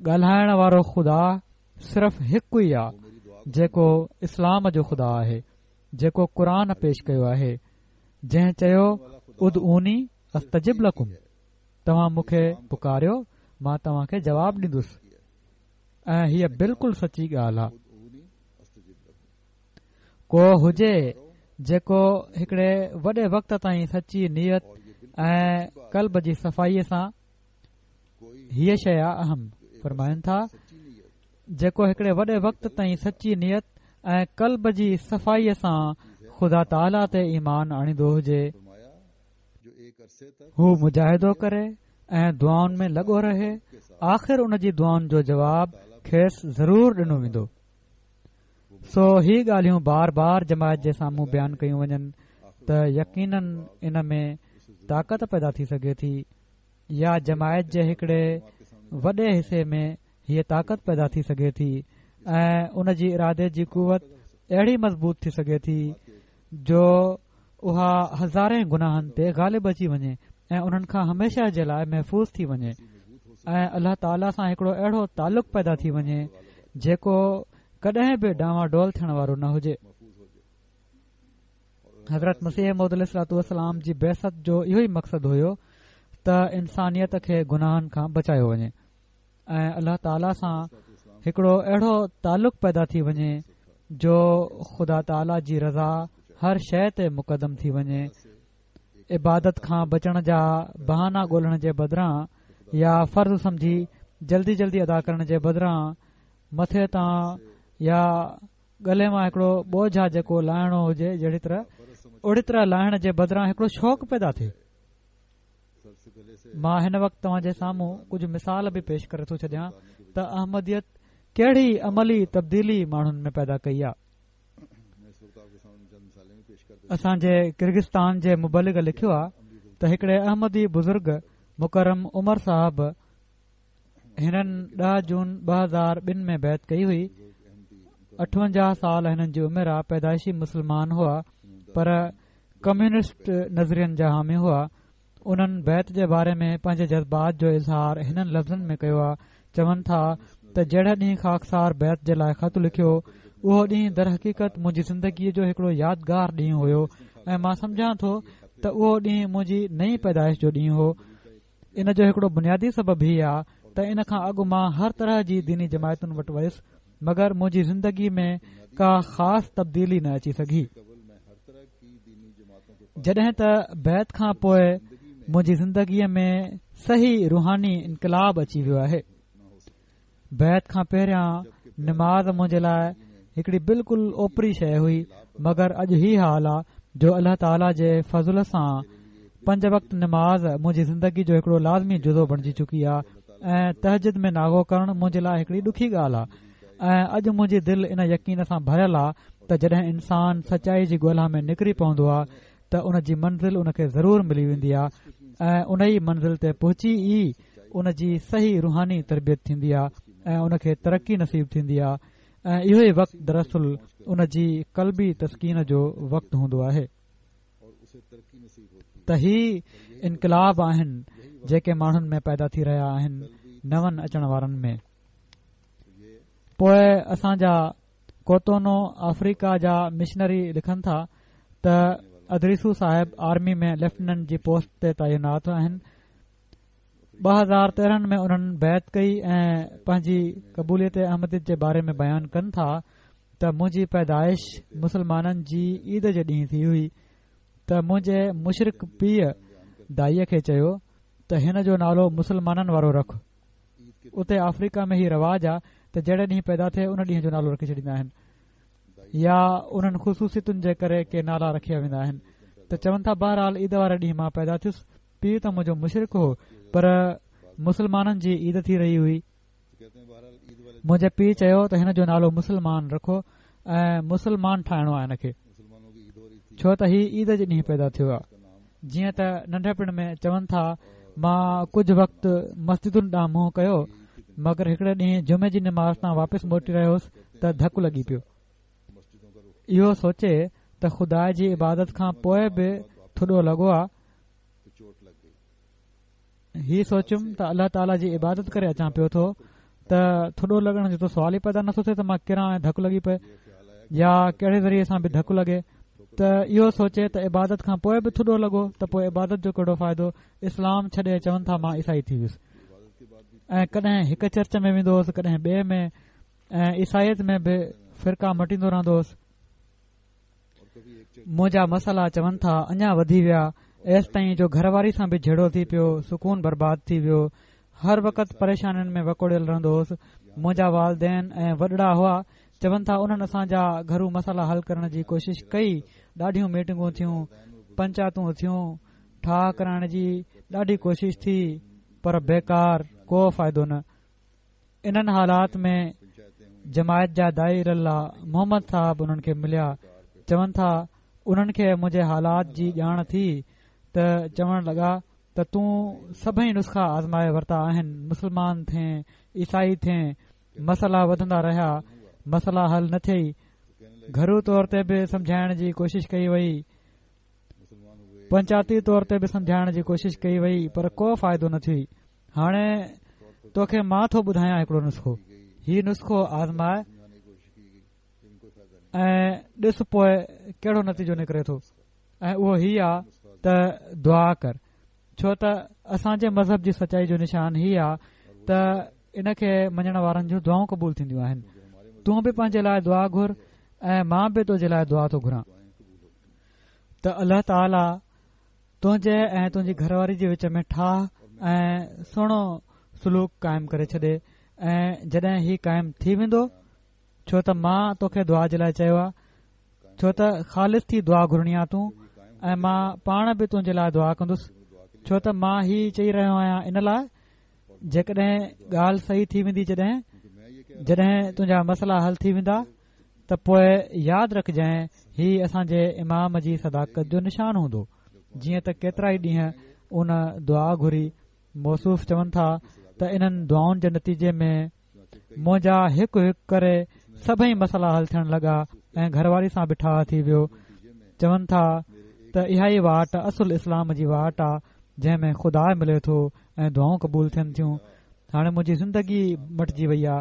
ڳالهائڻ وارو خدا صرف هڪ ئي آ جيڪو اسلام جو خدا آهي جيڪو قرآن پيش ڪيو آهي جنهن چيو ادعوني استجب لڪم توهان مون کي پڪاريو مان توهان کي جواب ڏيندس ۽ هيء بلڪل سچي ڳالهه آ ڪو هجي جيڪو هڪڙي وڏي وقت تائين سچي نيت ۽ قلب جي صفائي سان هيء شيء آ اهم فرمائن ٿا جيڪو هڪڙي وڏي وقت تائين سچي نيت ۽ قلب جي صفائي سان خدا تعاليٰ تي ايمان آڻيندو هجي هو مجاهدو ڪري ۽ دعائن ۾ لڳو رهي آخر ان جي دعائن جو جواب کيس ضرور ڏنو ويندو سو هي ڳالهيون بار بار جماعت جي سامهون بيان ڪيون وڃن ته يقينن ان ۾ طاقت پيدا ٿي سگهي ٿي يا جماعت جي هڪڙي وڏي حصي ۾ هيء طاقت پيدا ٿي سگهي ٿي ۽ ان جي ارادي جي قوت اهڙي مضبوط ٿي سگهي ٿي جو اها هزارين گناهن تي غالب اچي وڃي ۽ انهن کان هميشه جي لاء محفوظ ٿي وڃي ۽ الله تعاليٰ سان هڪڙو اهڙو تعلق پيدا ٿي وڃي جيڪو ڪڏهن به ڊانواڊول ٿيڻ وارو نه هجي. حضرت مسيح موعود عليه الصلوة والسلام جي بعثت جو اهو ئي مقصد هيو ته انسانيت کي گناهن کان بچايو وڃي ۽ الله تعاليٰ سان هڪڙو اهڙو تعلق پيدا ٿي وڃي جو خدا تعاليٰ جي رضا هر شيء تي مقدم ٿي وڃي عبادت کان بچڻ جا بهانا ڳولڻ جي بدران يا فرض سمجهي جلدي جلدي ادا ڪرڻ جي بدران مٿي تان يا ڳلي مان هڪڙو ٻوجهه آ جيڪو لاهڻو هجي جهڙي طرح اهڙي طرح لاهڻ جي بدران هڪڙو شوق پيدا ٿئي. مان هن وقت توهان جي سامهون ڪجهه مثال به پيش ڪري ٿو ڇڏيان ته احمديت ڪهڙي عملي تبديلي ماڻهن ۾ پيدا ڪئي آ. اسان جي ڪرغستان جي مبلغ لکيو آ ته هڪڙي احمدي بزرگ مڪرم عمر صاحب هنن 10 جون 2002 ۾ بيعت ڪئي هئي. 58 سال هنن جي عمر آ پيدائشي مسلمان هئا پر ڪميونسٽ نظرين جا حامي هئا. انهن بيعت جي باري ۾ پنهنجي جذبات جو اظهار هنن لفظن ۾ ڪيو آ چون ٿا ته جهڙي ڏينهن خاڪسار بيعت جي لاء خط لکيو اهو ڏينهن درحقيقت منهنجي زندگيء جو هڪڙو يادگار ڏينهن هيو ۽ مان سمجهان ٿو ته اهو ڏينهن منهنجي نئين پيدائش جو ڏينهن هو ان جو هڪڙو بنيادي سبب هي آ ته ان کان اڳ مان هر طرح جي ديني جماعتن وٽ ويس مگر منهنجي زندگي ۾ ڪا خاص تبديلي نه اچي سگهي. جڏهن ته بيعت کان پوء منهنجي زندگي ۾ صحيح روحاني انقلاب اچي ويو آهي. بيعت کان پهريان نماز منهنجي لاء هڪڙي بلڪل اوپري شيء هئي مگر اڄ هي حال آ جو الله تعاليٰ جي فضل سان پنج وقت نماز منهنجي زندگي جو هڪڙو لازمي جزو بڻجي چڪي آ ۽ تهجد ۾ ناغو ڪرڻ منهنجي لاء هڪڙي ڏکي ڳالهه آ ۽ اڄ منهنجي دل ان يقين سان ڀريل آ ته جڏهن انسان سچائي جي ڳولا ۾ نڪري پوندو آ ته ان جي منزل ان کي ضرور ملي ويندي آهي ۽ ان ئي منزل تي پهچي ئي ان جي صحيح روحاني تربيت ٿيندي آهي ۽ ان کي ترقي نصيب ٿيندي آهي ۽ اهو ئي وقت دراصل ان جي قلبي تسڪين جو وقت هوندو آهي ته هي انقلاب آهن جيڪي ماڻهن ۾ پيدا ٿي رهيا آهن نون اچڻ وارن ۾ پوء اسان جا ڪوتونو آفريڪا جا مشنري لکن ٿا ته ادريسو صاحب آرمي ۾ ليفٽيننٽ جي پوسٽ تي تعينات آهن. 2013 ۾ انهن بيعت ڪئي ۽ پنهنجي قبوليت احمديت جي باري ۾ بيان ڪن ٿا ته منهنجي پيدائش مسلمانن جي عيد جي ڏينهن ٿي هئي ته منهنجي مشرڪ پيء دائيء کي چيو ته هن جو نالو مسلمانن وارو رک. اتي آفريڪا ۾ هي رواج آ ته جهڙي ڏينهن پيدا ٿئي ان ڏينهن جو نالو رکي ڇڏيندا آهن يا انهن خصوصيتن جي ڪري ڪي نالا رکيا ويندا آهن ته چون ٿا بهرحال عيد واري ڏينهن مان پيدا ٿيس پيء ته منهنجو مشرڪ هو پر مسلمانن جي عيد ٿي رهي هئي منهنجي پيء چيو ته هن جو نالو مسلمان رکو ۽ مسلمان ٺاهڻو آهي هن کي ڇو ته هي عيد جي ڏينهن پيدا ٿيو آهي جيئن ته ننڍپڻ ۾ چون ٿا مان ڪجهه وقت مسجدن ڏانهن منهن ڪيو مگر هڪڙي ڏينهن جمعي جي نماز تان واپس موٽي رهيو هوس ته ڌڪ لڳي پيو اهو سوچي ته خدا جي عبادت کان پوء به ٿڏو لڳو آ هي سوچيم ته الله تعاليٰ جي عبادت ڪري اچان پيو ٿو ته ٿڏو لڳڻ جو ته سوال ئي پيدا نٿو ٿئي ته مان ڪران ۽ ڌڪ لڳي پئي يا ڪهڙي ذريعي سان به ڌڪ لڳي ته اهو سوچي ته عبادت کان پوء به ٿڏو لڳو ته پوء عبادت جو ڪهڙو فائدو اسلام ڇڏي چون ٿا مان عيسائي ٿي ويس ۽ ڪڏهن هڪ چرچ ۾ ويندو هوس ڪڏهن ٻئي ۾ ۽ عيسائيت ۾ به فرقا مٽيندو رهندو هوس منهنجا مسئلا چون ٿا اڃا وڌي ويا ايستائين جو گهر واري سان به جهيڙو ٿي پيو سڪون برباد ٿي ويو هر وقت پريشانين ۾ وڪوڙيل رهندو هوس منهنجا والدين ۽ وڏڙا هئا چون ٿا انهن اسان جا گهرو مسئلا حل ڪرڻ جي ڪوشش ڪئي ڏاڍيون ميٽنگون ٿيون پنچاتون ٿيون ٺاهه ڪرائڻ جي ڏاڍي ڪوشش ٿي پر بيڪار ڪو فائدو نه انهن حالات ۾ جماعت جا داعي الي الله محمد صاحب انهن کي مليا چون ٿا انهن کي منهنجي حالات جي ڄاڻ ٿي ته چوڻ لڳا ته تون سڀئي نسخا آزمائي ورتا آهن مسلمان ٿين عيسائي ٿين مسئلا وڌندا رهيا مسئلا حل نه ٿيئي گهرو طور تي به سمجهائڻ جي ڪوشش ڪئي وئي پنچاتي طور تي به سمجهائڻ جي ڪوشش ڪئي وئي پر ڪو فائدو نه ٿيو هاڻي توکي مان ٿو ٻڌايان هڪڙو نسخو هي نسخو آزماء ۽ ڏس پوء ڪهڙو نتيجو نڪري ٿو ۽ اهو هي آ ته دعا ڪر ڇو ته اسان جي مذهب جي سچائي جو نشان هي آ ته ان کي مڃڻ وارن جون دعائون قبول ٿينديون آهن تون به پنهنجي لاء دعا گهر ۽ مان به تنهنجي لاء دعا ٿو گهران ته الله تعاليٰ تنهنجي ۽ تنهنجي گهر واري جي وچ ۾ ٺاهه ۽ سهڻو سلوڪ قائم ڪري ڇڏي ۽ جڏهن هي قائم ٿي ويندو ڇو ته مان توکي دعا جي لاء چيو آهي ڇو ته خالص ٿي دعا گهرڻي آ تون ۽ مان پاڻ به تنهنجي لاء دعا ڪندس ڇو ته مان هي چئي رهيو آهيان ان لاء جيڪڏهن ڳالهه صحيح ٿي ويندي جڏهن جڏهن تنهنجا مسئلا حل ٿي ويندا ته پوء ياد رکجانء هي اسان جي امام جي صداقت جو نشان هوندو جيئن ته ڪيترائي ڏينهن ان دعا گهري موصوف چون ٿا ته انهن دعائن جي نتيجي ۾ منهنجا هڪ هڪ ڪري سڀئي مسئلا حل ٿيڻ لڳا ۽ گهر واري سان به ٺاهه ٿي ويو چون ٿا ته اها ئي واٽ اصل اسلام جي واٽ آ جنهن ۾ خدا ملي ٿو ۽ دعائون قبول ٿين ٿيون هاڻي منهنجي زندگي مٽجي وئي آ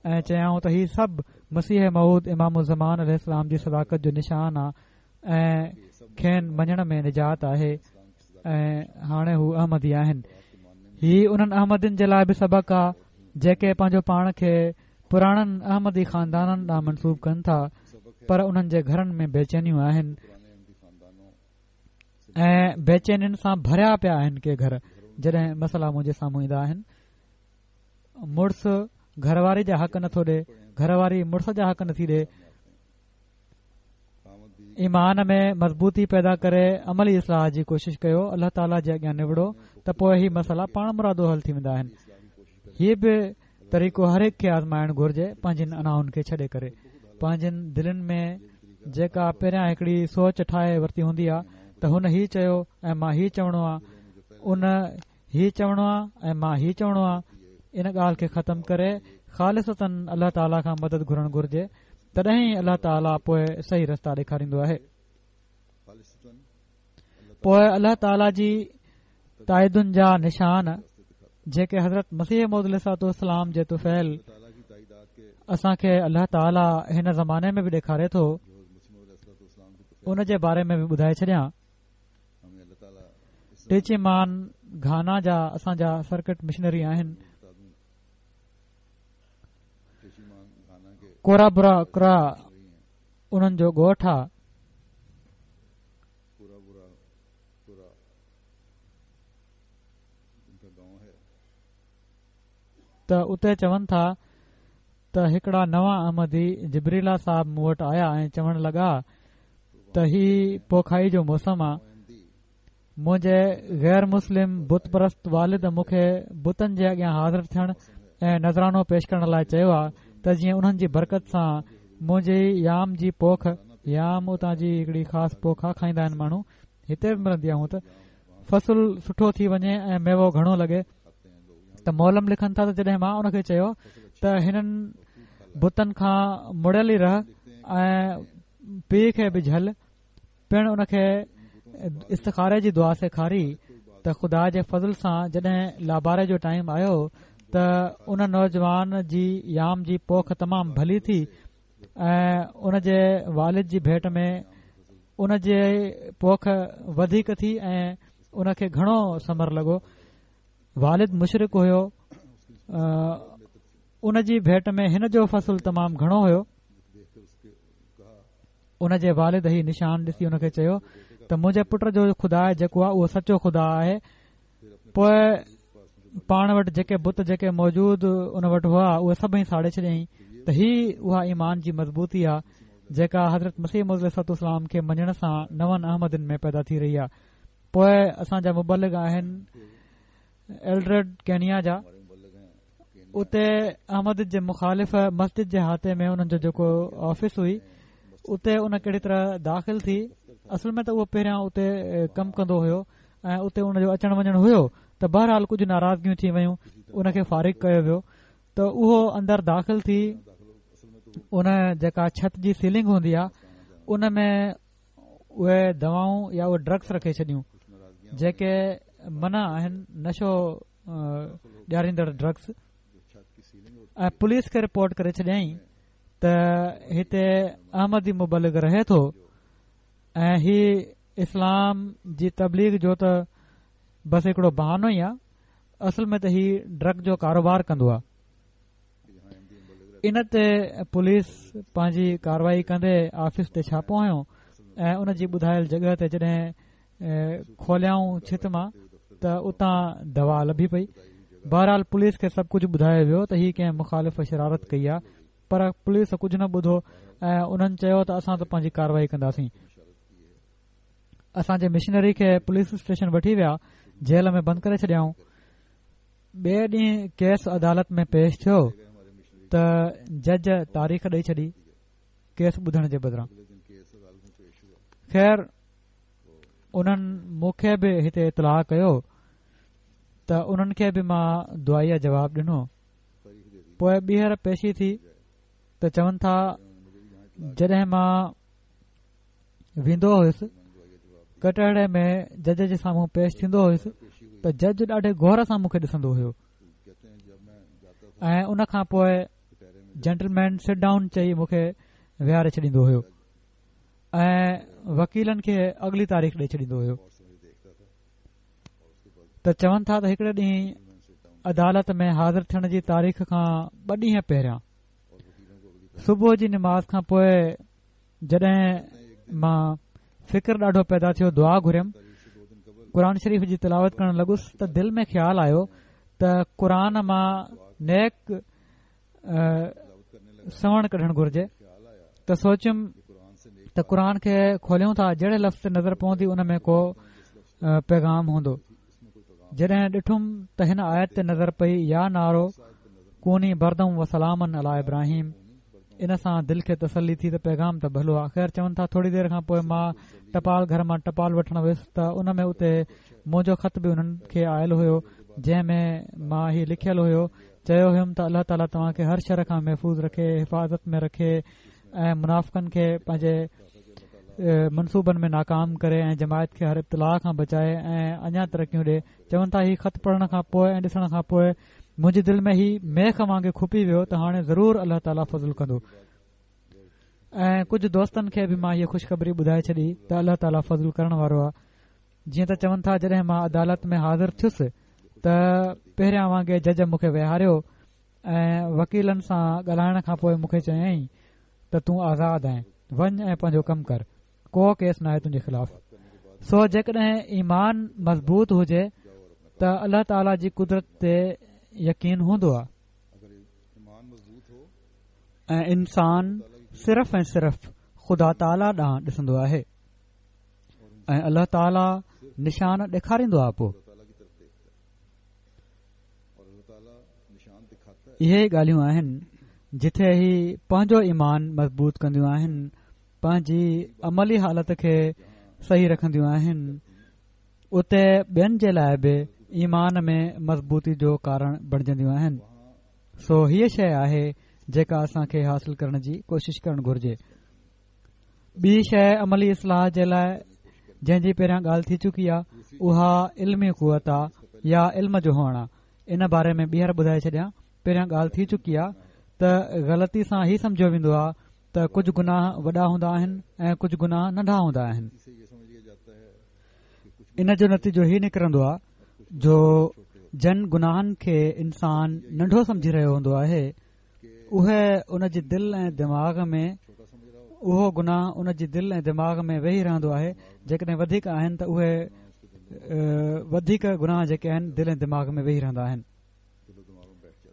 ۽ چيائون ته هي سڀ مسيح موعود امام الزمان عليه السلام جي صداقت جو نشان آ ۽ کين مڃڻ ۾ نجات آهي ۽ هاڻي هو احمدي آهن هي انهن احمدين جي لاء به سبق آ جيڪي پنهنجو پاڻ کي پراڻن احمدي خاندانن ڏانهن منسوب ڪن ٿا پر انهن جي گهرن ۾ بيچينيون آهن ۽ بيچينين سان ڀريا پيا آهن ڪي گهر جڏهن مسئلا منهنجي سامهون ايندا آهن مڙس گهر واري جا حق نٿو ڏي، گهر واري مڙس جا حق نٿي ڏي. ايمان ۾ مضبوطي پيدا ڪري عملي اصلاح جي ڪوشش ڪيو الله تعاليٰ جي اڳيان نوڙو ته پوء هي مسئلا پاڻ مرادو حل ٿي ويندا آهن. هي به طريقو هر هڪ کي آزمائڻ گهرجي پنهنجين انائن کي ڇڏي ڪري پنهنجين دلين ۾ جيڪا پهريان هڪڙي سوچ ٺاهي ورتي هوندي آ ته هن هي چيو ۽ مان هي چوڻو آ ان هي چوڻو آ ۽ مان هي چوڻو آ ان ڳالهه کي ختم ڪري خالصتاً الله تعاليٰ کان مدد گهرڻ گهرجي تڏهن ئي الله تعاليٰ پوء صحيح رستا ڏيکاريندو آهي پوء الله تعاليٰ جي تائيدن جا نشان جيڪي حضرت مسيح موعود عليه الصلوة والسلام جي طفيل اسان کي الله تعاليٰ هن زماني ۾ به ڏيکاري ٿو ان جي باري ۾ به ٻڌائي ڇڏيان ٽيچيمان گهانا جا اسان جا سرڪٽ مشنري آهن. ڪورابورا ڪرا انهن جو ڳوٺ آ. ته اتي چون ٿا ته هڪڙا نوان احمدي جبريلا صاحب مون وٽ آيا ۽ چوڻ لڳا ته هي پوکائي جو موسم آ، منهنجي غير مسلم بت پرست والد مون کي بتن جي اڳيان حاضر ٿيڻ ۽ نذرانو پيش ڪرڻ لاء چيو آ ته جيئن انهن جي برڪت سان منهنجي يام جي پوک، يام اتان جي هڪڙي خاص پوک آ کائيندا آهن ماڻهو هتي به ملندي آ هونء ته، فصل سٺو ٿي وڃي ۽ ميوو گهڻو لڳي. ته معلم لکن ٿا ته جڏهن مان ان کي چيو ته هنن بتن کان مڙيل ئي رهه ۽ پيء کي به جهل، پڻ ان کي استخاري جي دعا سيکاري ته خدا جي فضل سان جڏهن لاباري جو ٽائيم آيو ته ان نوجوان جي يام جي پوک تمام ڀلي ٿي ۽ ان جي والد جي ڀيٽ ۾ ان جي پوک وڌيڪ ٿي ۽ ان کي گهڻو ثمر لڳو. والد مشرڪ هيو ان جي ڀيٽ ۾ هن جو فصل تمام گهڻو هيو. ان جي والد هي نشان ڏسي ان کي چيو ته منهنجي پٽ جو خدا جيڪو آهي اهو سچو خدا آهي. پوء پاڻ وٽ جيڪي بت جيڪي موجود ان وٽ هئا اهي سڀئي ساڙي ڇڏيائين ته هي اها ايمان جي مضبوطي آهي جيڪا حضرت مسيح موعود عليه الصلوة والسلام کي مڃڻ سان نون احمدين ۾ پيدا ٿي رهي آهي. پوء اسان جا مبلغ آهن ايلڊرڊ ڪينيا جا اتي احمديت جي مخالف مسجد جي احاطي ۾ انهن جو جيڪو آفيس هئي اتي ان ڪهڙي طرح داخل ٿي اصل ۾ ته اهو پهريان اتي ڪم ڪندو هيو ۽ اتي ان جو اچڻ وڃڻ هيو ته بهرحال ڪجهه ناراضگيون ٿي ويون ان کي فارغ ڪيو ويو ته اهو اندر داخل ٿي ان جيڪا ڇت جي سيلنگ هوندي آهي ان ۾ اهي دوائون يا اهي ڊرگس رکي ڇڏيون جيڪي منع آهن نشو ڏياريندڙ ڊرگس ۽ پوليس کي رپورٽ ڪري ڇڏيائين ته هتي احمدي مبلغ رهي ٿو ۽ هي اسلام جي تبليغ جو ته بس هڪڙو بهانو ئي آهي اصل ۾ ته هي ڊرگ جو ڪاروبار ڪندو آهي ان تي پوليس پنهنجي ڪارروائي ڪندي آفيس تي ڇاپو هنيو ۽ ان جي ٻڌايل جڳهه تي جڏهن کوليائون ڇت مان ته اتان دوا لڀي پئي. بهرحال پوليس کي سڀ ڪجهه ٻڌايو ويو ته هي ڪنهن مخالف شرارت ڪئي آهي پر پوليس ڪجهه نه ٻڌو ۽ انهن چيو ته اسان ته پنهنجي ڪارروائي ڪنداسين. اسان جي مشنري کي پوليس اسٽيشن وٺي ويا جيل ۾ بند ڪري ڇڏيائون. ٻئي ڏينهن ڪيس عدالت ۾ پيش ٿيو ته جج تاريخ ڏئي ڇڏي ڪيس ٻڌڻ جي بدران. خير انهن مون کي به هتي اطلاع ڪيو ته انهن کي به مان دعائيه جواب ڏنو. پوء ٻيهر پيشي ٿي ته چون ٿا جڏهن مان ويندو هيس ڪٽهڙي ۾ جج جي سامهون پيش ٿيندو هيس ته جج ڏاڍي غور سان مون کي ڏسندو هيو ۽ ان کان پوء جينٽلمين سٽ ڊائون چئي مون کي ويهاري ڇڏيندو هيو ۽ وڪيلن کي اڳلي تاريخ ڏئي ڇڏيندو هيو ته چون ٿا ته هڪڙي ڏينهن عدالت ۾ حاضر ٿيڻ جي تاريخ کان ٻه ڏينهن پهريان صبح جي نماز کان پوء جڏهن مان فڪر ڏاڍو پيدا ٿيو دعا گهريم قرآن شريف جي تلاوت ڪرڻ لڳس ته دل ۾ خيال آيو ته قرآن مان نيڪ سوڻ ڪڍڻ گهرجي ته سوچيم ته قرآن کي کوليون ٿا جهڙي لفظ تي نظر پوندي ان ۾ ڪو پيغام هوندو جڏهن ڏٺم ته هن آيت تي نظر پئي يا نار ڪوني بردا و سلاما علي ابراهيم ان سان دل کي تسلي ٿي ته پيغام ته ڀلو آ خير چون ٿا ٿوري دير کان پوء مان ٽپال گهر مان ٽپال وٺڻ ويس ته ان ۾ اتي منهنجو خط به انهن کي آيل هيو جنهن ۾ مان هي لکيل هيو چيو هيم ته الله تعالي توهان کي هر شر کان محفوظ رکي حفاظت ۾ رکي ۽ منافقن کي پنهنجي منصوبن ۾ ناڪام ڪري ۽ جماعت کي هر ابتلاء کان بچائي ۽ اڃا ترقيون ڏي چون ٿا هي خط پڙهڻ کان پوء ۽ ڏسڻ کان پوء منهنجي دل ۾ هي ميخ وانگي کپي ويو ته هاڻي ضرور الله تعالي فضل ڪندو ۽ ڪجهه دوستن کي به مان هيء خوشخبري ٻڌائي ڇڏي ته الله تعالي فضل ڪرڻ وارو آهي. جيئن ته چون ٿا جڏهن مان عدالت ۾ حاضر ٿيس ته پهريان وانگي جج مون کي ويهاريو ۽ وڪيلن سان ڳالهائڻ کان پوء مون کي چيائين ته تون آزاد آهين وڃ ۽ پنهنجو ڪم ڪر ڪو ڪيس ناهي تنهنجي خلاف. سو جيڪڏهن ايمان مضبوط هجي ته الله تعالي جي قدرت تي يقين هوندو آهي ۽ انسان صرف ۽ صرف خدا تعالي ڏانهن ڏسندو آهي ۽ الله تعالي نشان ڏيکاريندو آهي پوء اهي ڳالهيون آهن جتي هي پنهنجو ايمان مضبوط ڪنديون آهن پنهنجي عملي حالت کي صحيح رکنديون آهن اتي ٻين جي لاء به ايمان ۾ مضبوطي جو ڪارڻ بڻجنديون آهن سو هيء شيء آهي جيڪا اسان کي حاصل ڪرڻ جي ڪوشش ڪرڻ گهرجي ٻي شيء عملي اصلاح جي لاء جنهن جي پهريان ڳالهه ٿي چڪي آهي اها علمي قوت آ يا علم جو هئڻ آ ان باري ۾ ٻيهر ٻڌائي ڇڏيان پهريان ڳالهه ٿي چڪي آ ته غلطي سان هي سمجهيو ويندو آ ته ڪجهه گناهه وڏا هوندا آهن ۽ ڪجهه گناهه ننڍا هوندا آهن ان جو نتيجو هي نڪرندو آ جو جن گناهن کي انسان ننڍو سمجهي رهيو هوندو آهي اهي ان جي دل ۽ دماغ ۾ اهو گناهه ان جي دل ۽ دماغ ۾ ويهي رهندو آهي جيڪڏهن وڌيڪ آهن ته اهي وڌيڪ گناهه جيڪي آهن دل ۽ دماغ ۾ ويهي رهندا آهن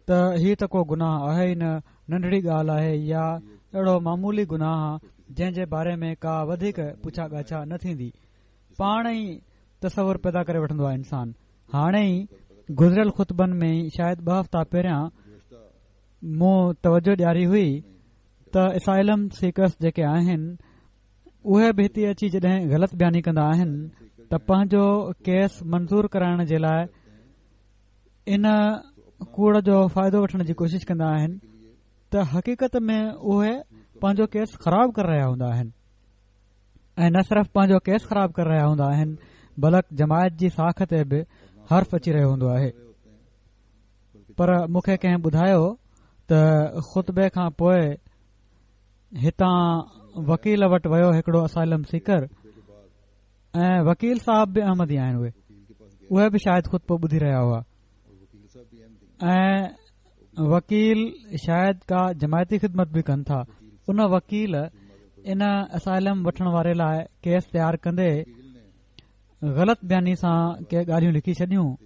ته هي ته ڪو گناهه آهي ئي نه ننڍڙي ڳالهه آهي يا اهڙو معمولي گناهه جنهن جي باري ۾ ڪا وڌيڪ پڇا ڳاڇا نه ٿيندي پاڻ ئي تصور پيدا ڪري وٺندو آهي انسان هاڻي ئي گذريل خطبن ۾ ئي شايد ٻه هفتا پهريان مون توجه ڏياري هئي ته اسائلم سيڪرس جيڪي آهن اهي به هتي اچي جڏهن غلط بياني ڪندا آهن ته پنهنجو ڪيس منظور ڪرائڻ جي لاء ان ڪوڙ جو فائدو وٺڻ جي ڪوشش ڪندا آهن ته حقيقت ۾ اهي پنهنجو ڪيس خراب ڪري رهيا هوندا آهن ۽ نه صرف پنهنجو ڪيس خراب ڪري رهيا هوندا آهن بلڪ جماعت جي ساک تي به حرف اچي رهيو هوندو آهي پر مون کي ڪنهن ٻڌايو ته خطبي کان پوء هتان وڪيل وٽ ويو هڪڙو اسائلم سيڪر ۽ وڪيل صاحب به احمدي آهن اهي اهي به شايد خطبو ٻڌي رهيا هئا ۽ وڪيل شايد ڪا جماعتي خدمت به ڪن ٿا ان وڪيل ان اسائلم وٺڻ واري لاء ڪيس تيار ڪندي غلط بياني سان ڪي ڳالهيون لکي ڇڏيون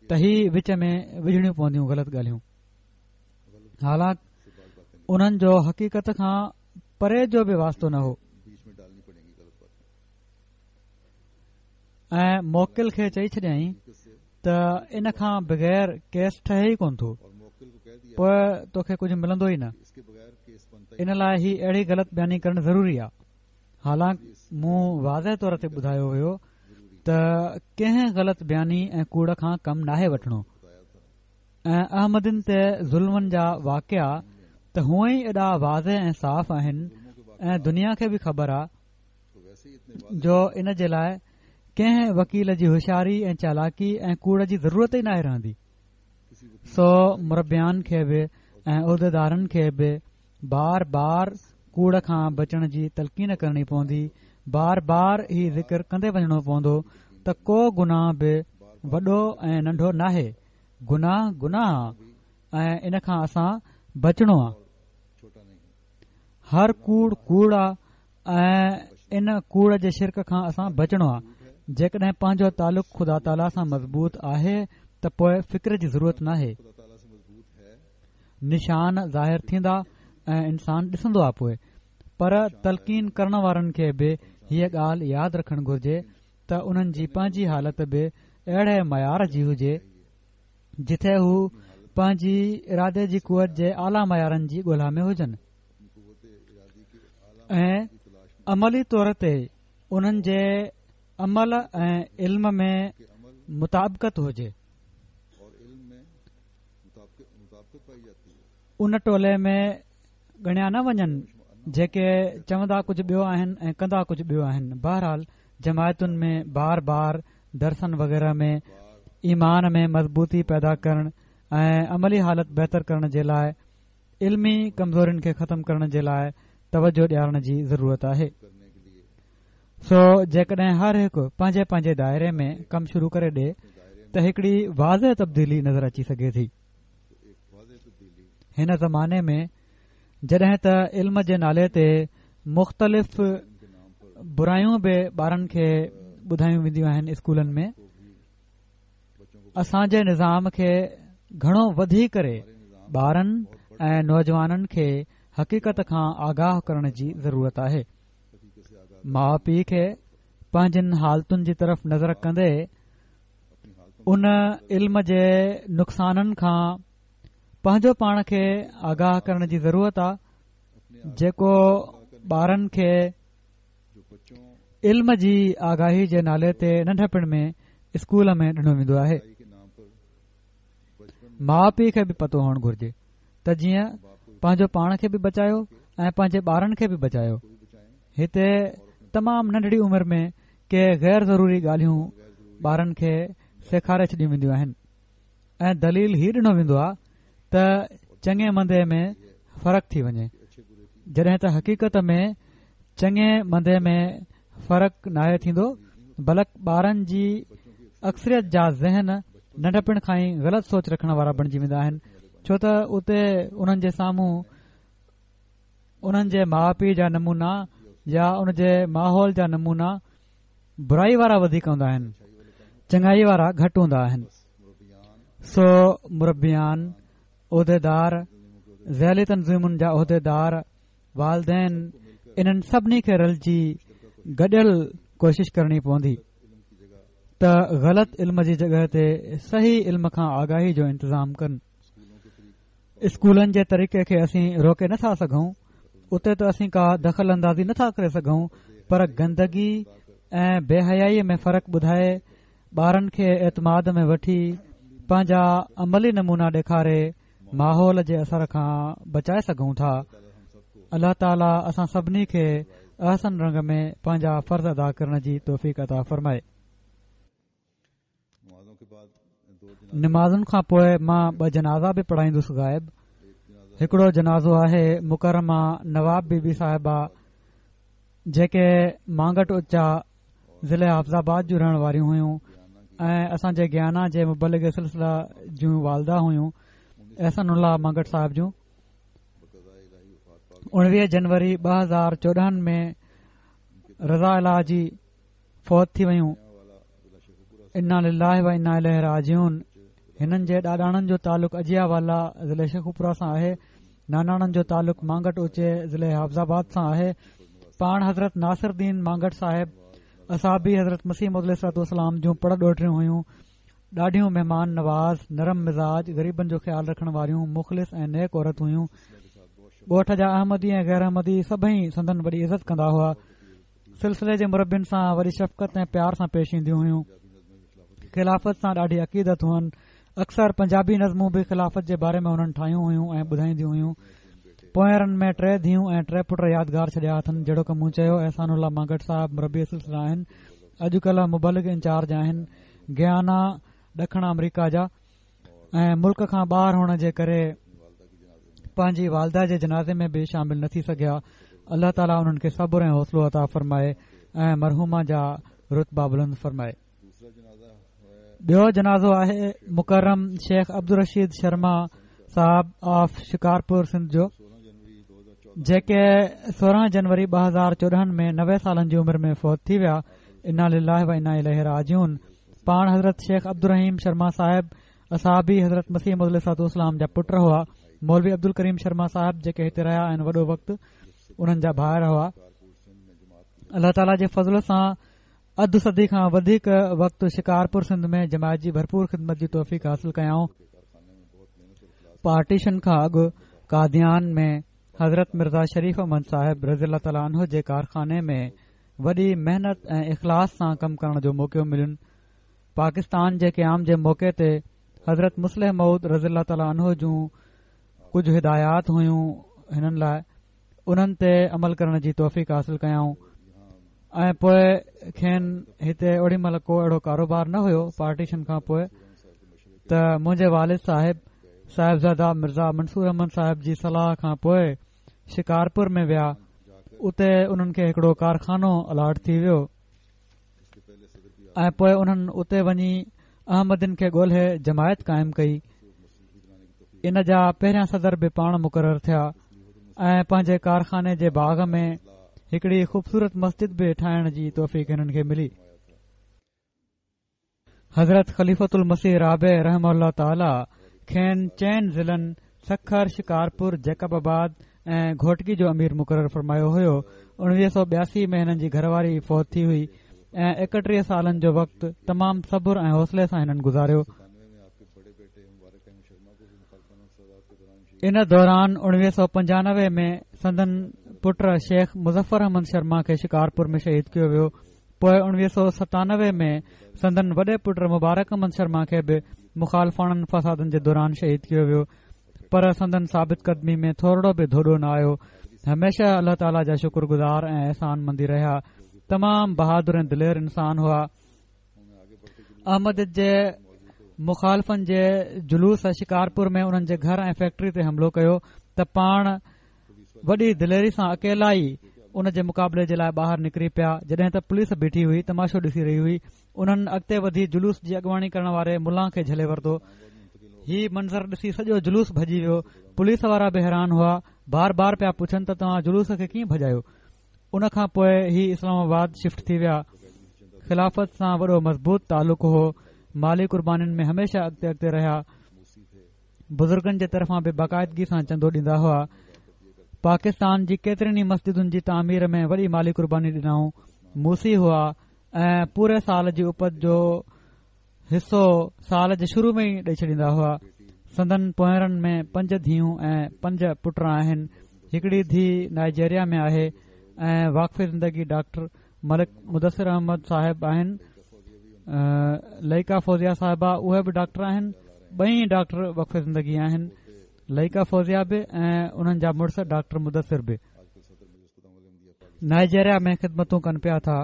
ته هي وچ ۾ وجهڻيون پونديون غلط ڳالهيون حالانڪ انهن جو حقيقت کان پري جو به واسطو نه هو ۽ موڪل کي چئي ڇڏيائين ته ان کان بغير ڪيس ٺهي ئي ڪونه ٿو پوء توکي ڪجهه ملندو ئي نه ان لاء هي اهڙي غلط بياني ڪرڻ ضروري آهي حالانڪ مون واضح طور تي ٻڌايو هيو ته ڪنهن غلط بياني ۽ ڪوڙ کان ڪم ناهي وٺڻو ۽ احمدين تي ظلمن جا واقعا ته هونئن ئي ايڏا واضح ۽ صاف آهن ۽ دنيا کي به خبر آ جو ان جي لاء ڪنهن وڪيل جي هوشياري ۽ چالاڪي ۽ ڪوڙ جي ضرورت ئي ناهي رهندي سو مربيان کي به ۽ عهديدارن کي به بار بار ڪوڙ کان بچڻ جي تلقين ڪرڻي پوندي بار بار هي ذڪر ڪندي وڃڻو پوندو ته ڪو گناهه به وڏو ۽ ننڍو ناهي گناهه گناهه آ ۽ ان کان اسان بچڻو آ هر ڪوڙ ڪوڙ آ ۽ ان ڪوڙ جي شرڪ کان اسان بچڻو آ جيڪڏهن پنهنجو تعلق خدا تعاليٰ سان مضبوط آهي ته پوء فڪر جي ضرورت ناهي نشان ظاهر ٿيندا ۽ انسان ڏسندو آ پوء پر تلقين ڪرڻ وارن کي به هيء ڳالهه ياد رکڻ گهرجي ته انهن جي پنهنجي حالت به اهڙي معيار جي هجي جتي هو پنهنجي ارادي جي قوت جي اعليٰ معيارن جي ڳولا ۾ هجن ۽ عملي طور تي انهن جي عمل ۽ علم ۾ مطابقت هجي ان ٽولي ۾ ڳڻيا نه وڃن جيڪي چوندا ڪجهه ٻيو آهن ۽ ڪندا ڪجهه ٻيو آهن بهرحال جماعتن ۾ بار بار درسن وغيره ۾ ايمان ۾ مضبوطي پيدا ڪرڻ ۽ عملي حالت بهتر ڪرڻ جي لاء علمي ڪمزورين کي ختم ڪرڻ جي لاء توجه ڏيارڻ جي ضرورت آهي. سو جيڪڏهن هر هڪ پنهنجي پنهنجي دائري ۾ ڪم شروع ڪري ڏي ته هڪڙي واضح تبديلي نظر اچي سگهي ٿي. هن زماني ۾ جڏهن ته علم جي نالي تي مختلف برايون به ٻارن کي ٻڌايون وينديون آهن اسڪولن ۾ اسان جي نظام کي گهڻو وڌي ڪري ٻارن ۽ نوجوانن کي حقيقت کان آگاهه ڪرڻ جي ضرورت آهي. ماء پيء کي پنهنجن حالتن جي طرف نظر ڪندي ان علم جي نقصانن کان پنهنجو پاڻ کي آگاهه ڪرڻ جي ضرورت آهي جيڪو ٻارن کي علم جي آگاهي جي نالي تي ننڍپڻ ۾ اسڪول ۾ ڏنو ويندو آهي. ماء پيء کي به پتو هئڻ گهرجي ته جيئن پنهنجو پاڻ کي به بچايو ۽ پنهنجي ٻارن کي به بچايو. هتي تمام ننڍڙي عمر ۾ ڪي غير ضروري ڳالهيون ٻارن کي سيکاري ڇڏيون وينديون آهن. ۽ دليل هي ڏنو ويندو آهي ته چڱي مندي ۾ فرق ٿي وڃي جڏهن ته حقيقت ۾ چڱي مندي ۾ فرق ناهي ٿيندو بلڪ ٻارن جي اڪثريت جا ذهن ننڍپڻ کان ئي غلط سوچ رکڻ وارا بڻجي ويندا آهن ڇو ته اتي انهن جي سامهون انهن جي ماء پيء جا نمونا يا ان جي ماحول جا نمونا برائي وارا وڌيڪ هوندا آهن چڱائي وارا گهٽ هوندا آهن سو مربيان عهديدار ذيلي تنظيمن جا عهديدار والدين انهن سڀني کي رلجي گڏيل ڪوشش ڪرڻي پوندي ته غلط علم جي جڳهه تي صحيح علم کان آگاهي جو انتظام ڪن اسڪولن جي طريقي کي اسين روڪي نٿا سگهون اتي ته اسين ڪا دخل اندازي نٿا ڪري سگهون پر گندگي ۽ بي حيائي ۾ فرق ٻڌائي ٻارن کي اعتماد ۾ وٺي پنهنجا عملي نمونا ڏيکاري ماحول جي اثر کان بچائي سگهون ٿا. الله تعالي اسان سڀني کي احسن رنگ ۾ پنهنجا فرض ادا ڪرڻ جي توفيق عطا فرمائي. نمازن کان پوء مان ٻه جنازا به پڙهائيندس غائب هڪڙو جنازو آهي مڪرمه نواب بي بي صاحبه جيڪي مانگٽ اچا ضلع حافظ آباد جون رهڻ واريون هيون ۽ اسان جي گيانا جي مبلغ سلسله جون والده هيون احسان الله مانگٽ صاحب جون 19 جنوري 2014 ۾ رضا الاهي جي فوت ٿي ويون انا لله و انا اليه راجعون هنن جي ڏاڏاڻن جو تعلق اجيا والا ضلع شيخوپورا سان آهي ناناڻن جو تعلق مانگٽ اوچي ضلع حافظ آباد سان آهي پاڻ حضرت ناصر الدين مانگٽ صاحب اصحابي حضرت مسيح موعود عليه الصلوة والسلام جون پڙ ڏوهٽريون هيون ڏاڍيون مهمان نواز نرم مزاج غريبن جو خيال رکڻ واريون مخلص ۽ نيڪ عورت هيون ڳوٺ جا احمدي ۽ غير احمدي سڀئي سندن وڏي عزت ڪندا هئا سلسلي جي مربين سان وڏي شفقت ۽ پيار سان پيش اينديون هيون خلافت سان ڏاڍي عقيدت هئن اڪثر پنجابي نظمون به خلافت جي باري ۾ انهن ٺاهيون هيون ۽ ٻڌائينديون هيون. پوئينرن ۾ ٽي ڌيئون ۽ ٽي پٽ يادگار ڇڏيا اٿن جهڙوڪ مون چيو احسان الله مانگٽ صاحب مربي سلسله آهن اڄڪلهه مبلغ انچارج آهن گيانا ڏکڻ آمريڪا جا ۽ ملڪ کان ٻاهر هئڻ جي ڪري پنهنجي والده جي جنازي ۾ به شامل نه ٿي سگهيا الله تعالي انهن کي صبر ۽ حوصلو عطا فرمائي ۽ مرحومه جا رتبا بلند فرمائي. ٻيو جنازو آهي مڪرم شيخ عبدالرشيد شرما صاحب آف شڪارپور سنڌ جو جيڪي 16 جنوري 2014 ۾ 90 سالن جي عمر ۾ فوت ٿي ويا انا لله و انا اليه راجعون پاڻ حضرت شيخ عبدالرحيم شرما صاحب اصحابي حضرت مسيح موعود عليه الصلوة والسلام جا پٽ هئا مولوي عبدالڪريم شرما صاحب جيڪي هتي رهيا آهن وڏو وقت انهن جا ڀائر هئا الله تعالي جي فضل سان اڌ صدي کان وڌيڪ وقت شڪارپور سنڌ ۾ جماعت جي ڀرپور خدمت جي توفيق حاصل ڪيائون. پارٽيشن کان اڳ قاديان ۾ حضرت مرزا شريف احمد صاحب رضي الله تعالٰي عنه جي ڪارخاني ۾ وڏي محنت ۽ اخلاص سان ڪم ڪرڻ جو موقعو ملين. پاڪستان جي قيام جي موقعي تي حضرت مصلح موعود رضي الله تعالٰي عنه جون ڪجهه هدايات هيون هنن لاء انهن تي عمل ڪرڻ جي توفيق حاصل ڪيائون ۽ پوء کين هتي اوڏي مهل ڪو اهڙو ڪاروبار نه هيو پارٽيشن کان پوء ته منهنجي والد صاحب صاحبزاده مرزا منصور احمد صاحب جي صلاح کان پوء شڪارپور ۾ ويا اتي انهن کي هڪڙو ڪارخانو الاٽ ٿي ويو. ۽ پوء انهن اتي وڃي احمدين کي ڳولهي جماعت قائم ڪئي. ان جا پهريان صدر به پاڻ مقرر ٿيا ۽ پنهنجي ڪارخاني جي باغ ۾ هڪڙي خوبصورت مسجد به ٺاهڻ جي توفيق هنن کي ملي. حضرت خليفة المسيح رابع رحمه الله تعاليٰ کين چئن ضلعن سکر، شڪارپور، جيڪب آباد ۽ گهوٽڪي جو امير مقرر فرمايو هيو. 1982 ۾ هنن جي گهر واري فوت ٿي هئي ۽ 31 سالن جو وقت تمام صبر ۽ حوصلي سان هنن گذاريو. ان دوران 1995 ۾ سندن پٽ شيخ مظفر احمد شرما کي شڪارپور ۾ شهيد ڪيو ويو. پوء 1997 ۾ سندن وڏي پٽ مبارڪ احمد شرما کي به مخالفاڻن فسادن جي دوران شهيد ڪيو ويو پر سندن ثابت قدمي ۾ ٿورڙو به ڌوڏو نه آيو هميشه الله تعاليٰ جا شڪر گذار ۽ احسان مندي رهيا تمام بهادر ۽ دلير انسان هئا احمديت جي مخالفن جي جلوس شڪارپور ۾ انهن جي گهر ۽ فيڪٽري تي حملو ڪيو ته پاڻ وڏي دليري سان اڪيلا ئي ان جي مقابلي جي لاء ٻاهر نڪري پيا جڏهن ته پوليس بيٺي هئي تماشو ڏسي رهي هئي انهن اڳتي وڌي جلوس جي اڳواڻي ڪرڻ واري ملان کي جهلي ورتو هي منظر ڏسي سڄو جلوس ڀڄي ويو پوليس وارا به حيران هئا بار بار پيا پڇن ته توهان جلوس کي ڪيئن ڀڄايو ان کان پوء هي اسلام آباد شفٽ ٿي ويا خلافت سان وڏو مضبوط تعلق هو مالي قربانين ۾ هميشه اڳتي اڳتي رهيا بزرگن جي طرفان به باقاعدگي سان چندو ڏيندا هئا پاڪستان جي ڪيترين ئي مسجدن جي تعمير ۾ وڏي مالي قرباني ڏنائون موصي هئا ۽ پوري سال جي اپت جو حصو سال جي شروع ۾ ئي ڏئي ڇڏيندا هئا سندن پوئرن ۾ پنج ڌيئون ۽ پنج پٽ آهن هڪڙي ڌيء نائجيريا ۾ آهي ۽ واقف زندگي ڊاڪٽر ملڪ مدثر احمد صاحب آهن لئيقه فوزيه صاحبه اهي به ڊاڪٽر آهن ٻئي ڊاڪٽر وقف زندگي آهن لئيقه فوزيه به ۽ انهن جا مڙس ڊاڪٽر مدثر به نائجيريا ۾ خدمتون ڪن پيا ٿا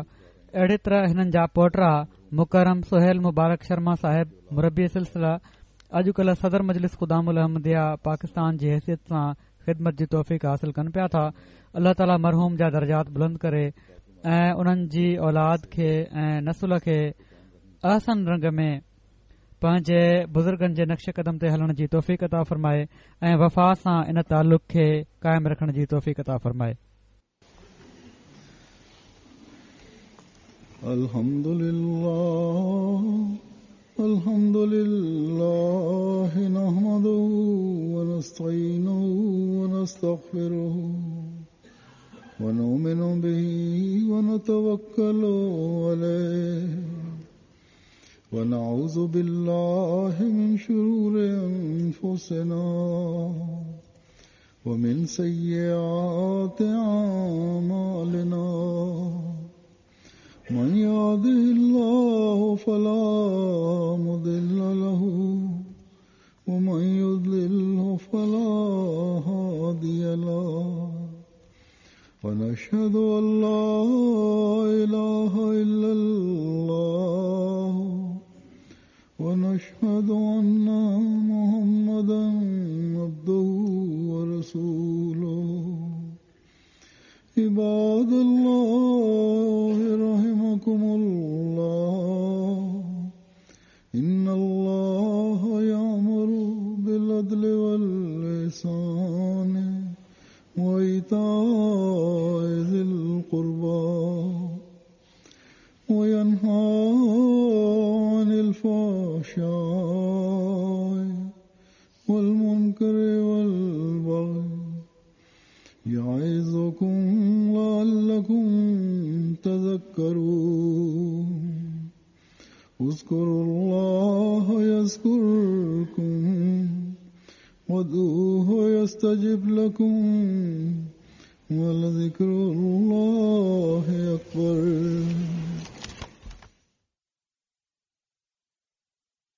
اهڙي طرح هنن جا پوٽرا مڪرم سهيل مبارڪ شرما صاحب مربي سلسله اڄڪلهه صدر مجلس خدام الاحمديه پاڪستان جي حيثيت سان خدمت جي توفيق حاصل ڪن پيا ٿا الله تعالي مرحوم جا درجات بلند ڪري ۽ انهن جي اولاد کي ۽ نسل کي احسن رنگ ۾ پنهنجي بزرگن جي نقش قدم تي هلڻ جي توفيق عطا فرمائي ۽ وفا سان ان تعلق کي قائم رکڻ جي توفيق عطا فرمائي. الحمد لله الحمد لله نحمده ونستعينه ونستغفره ونؤمن به ونتوكل عليه ونعوذ بالله من شرور أنفسنا ومن سيئات أعمالنا من يهده الله فلا مضل له ومن يضلله فلا هادي له ونشهد أن لا إله إلا الله ونشهد أن محمدا عبده ورسوله عباد الله رحمكم الله إن الله يأمر بالعدل والإحسان وإيتاء ذي القربى وينهى عن الفحشاء والمنكر والبغي يعظكم لعلكم تذكرون اذكروا الله يذكركم وادعوه يستجب لكم ولذكر الله أكبر.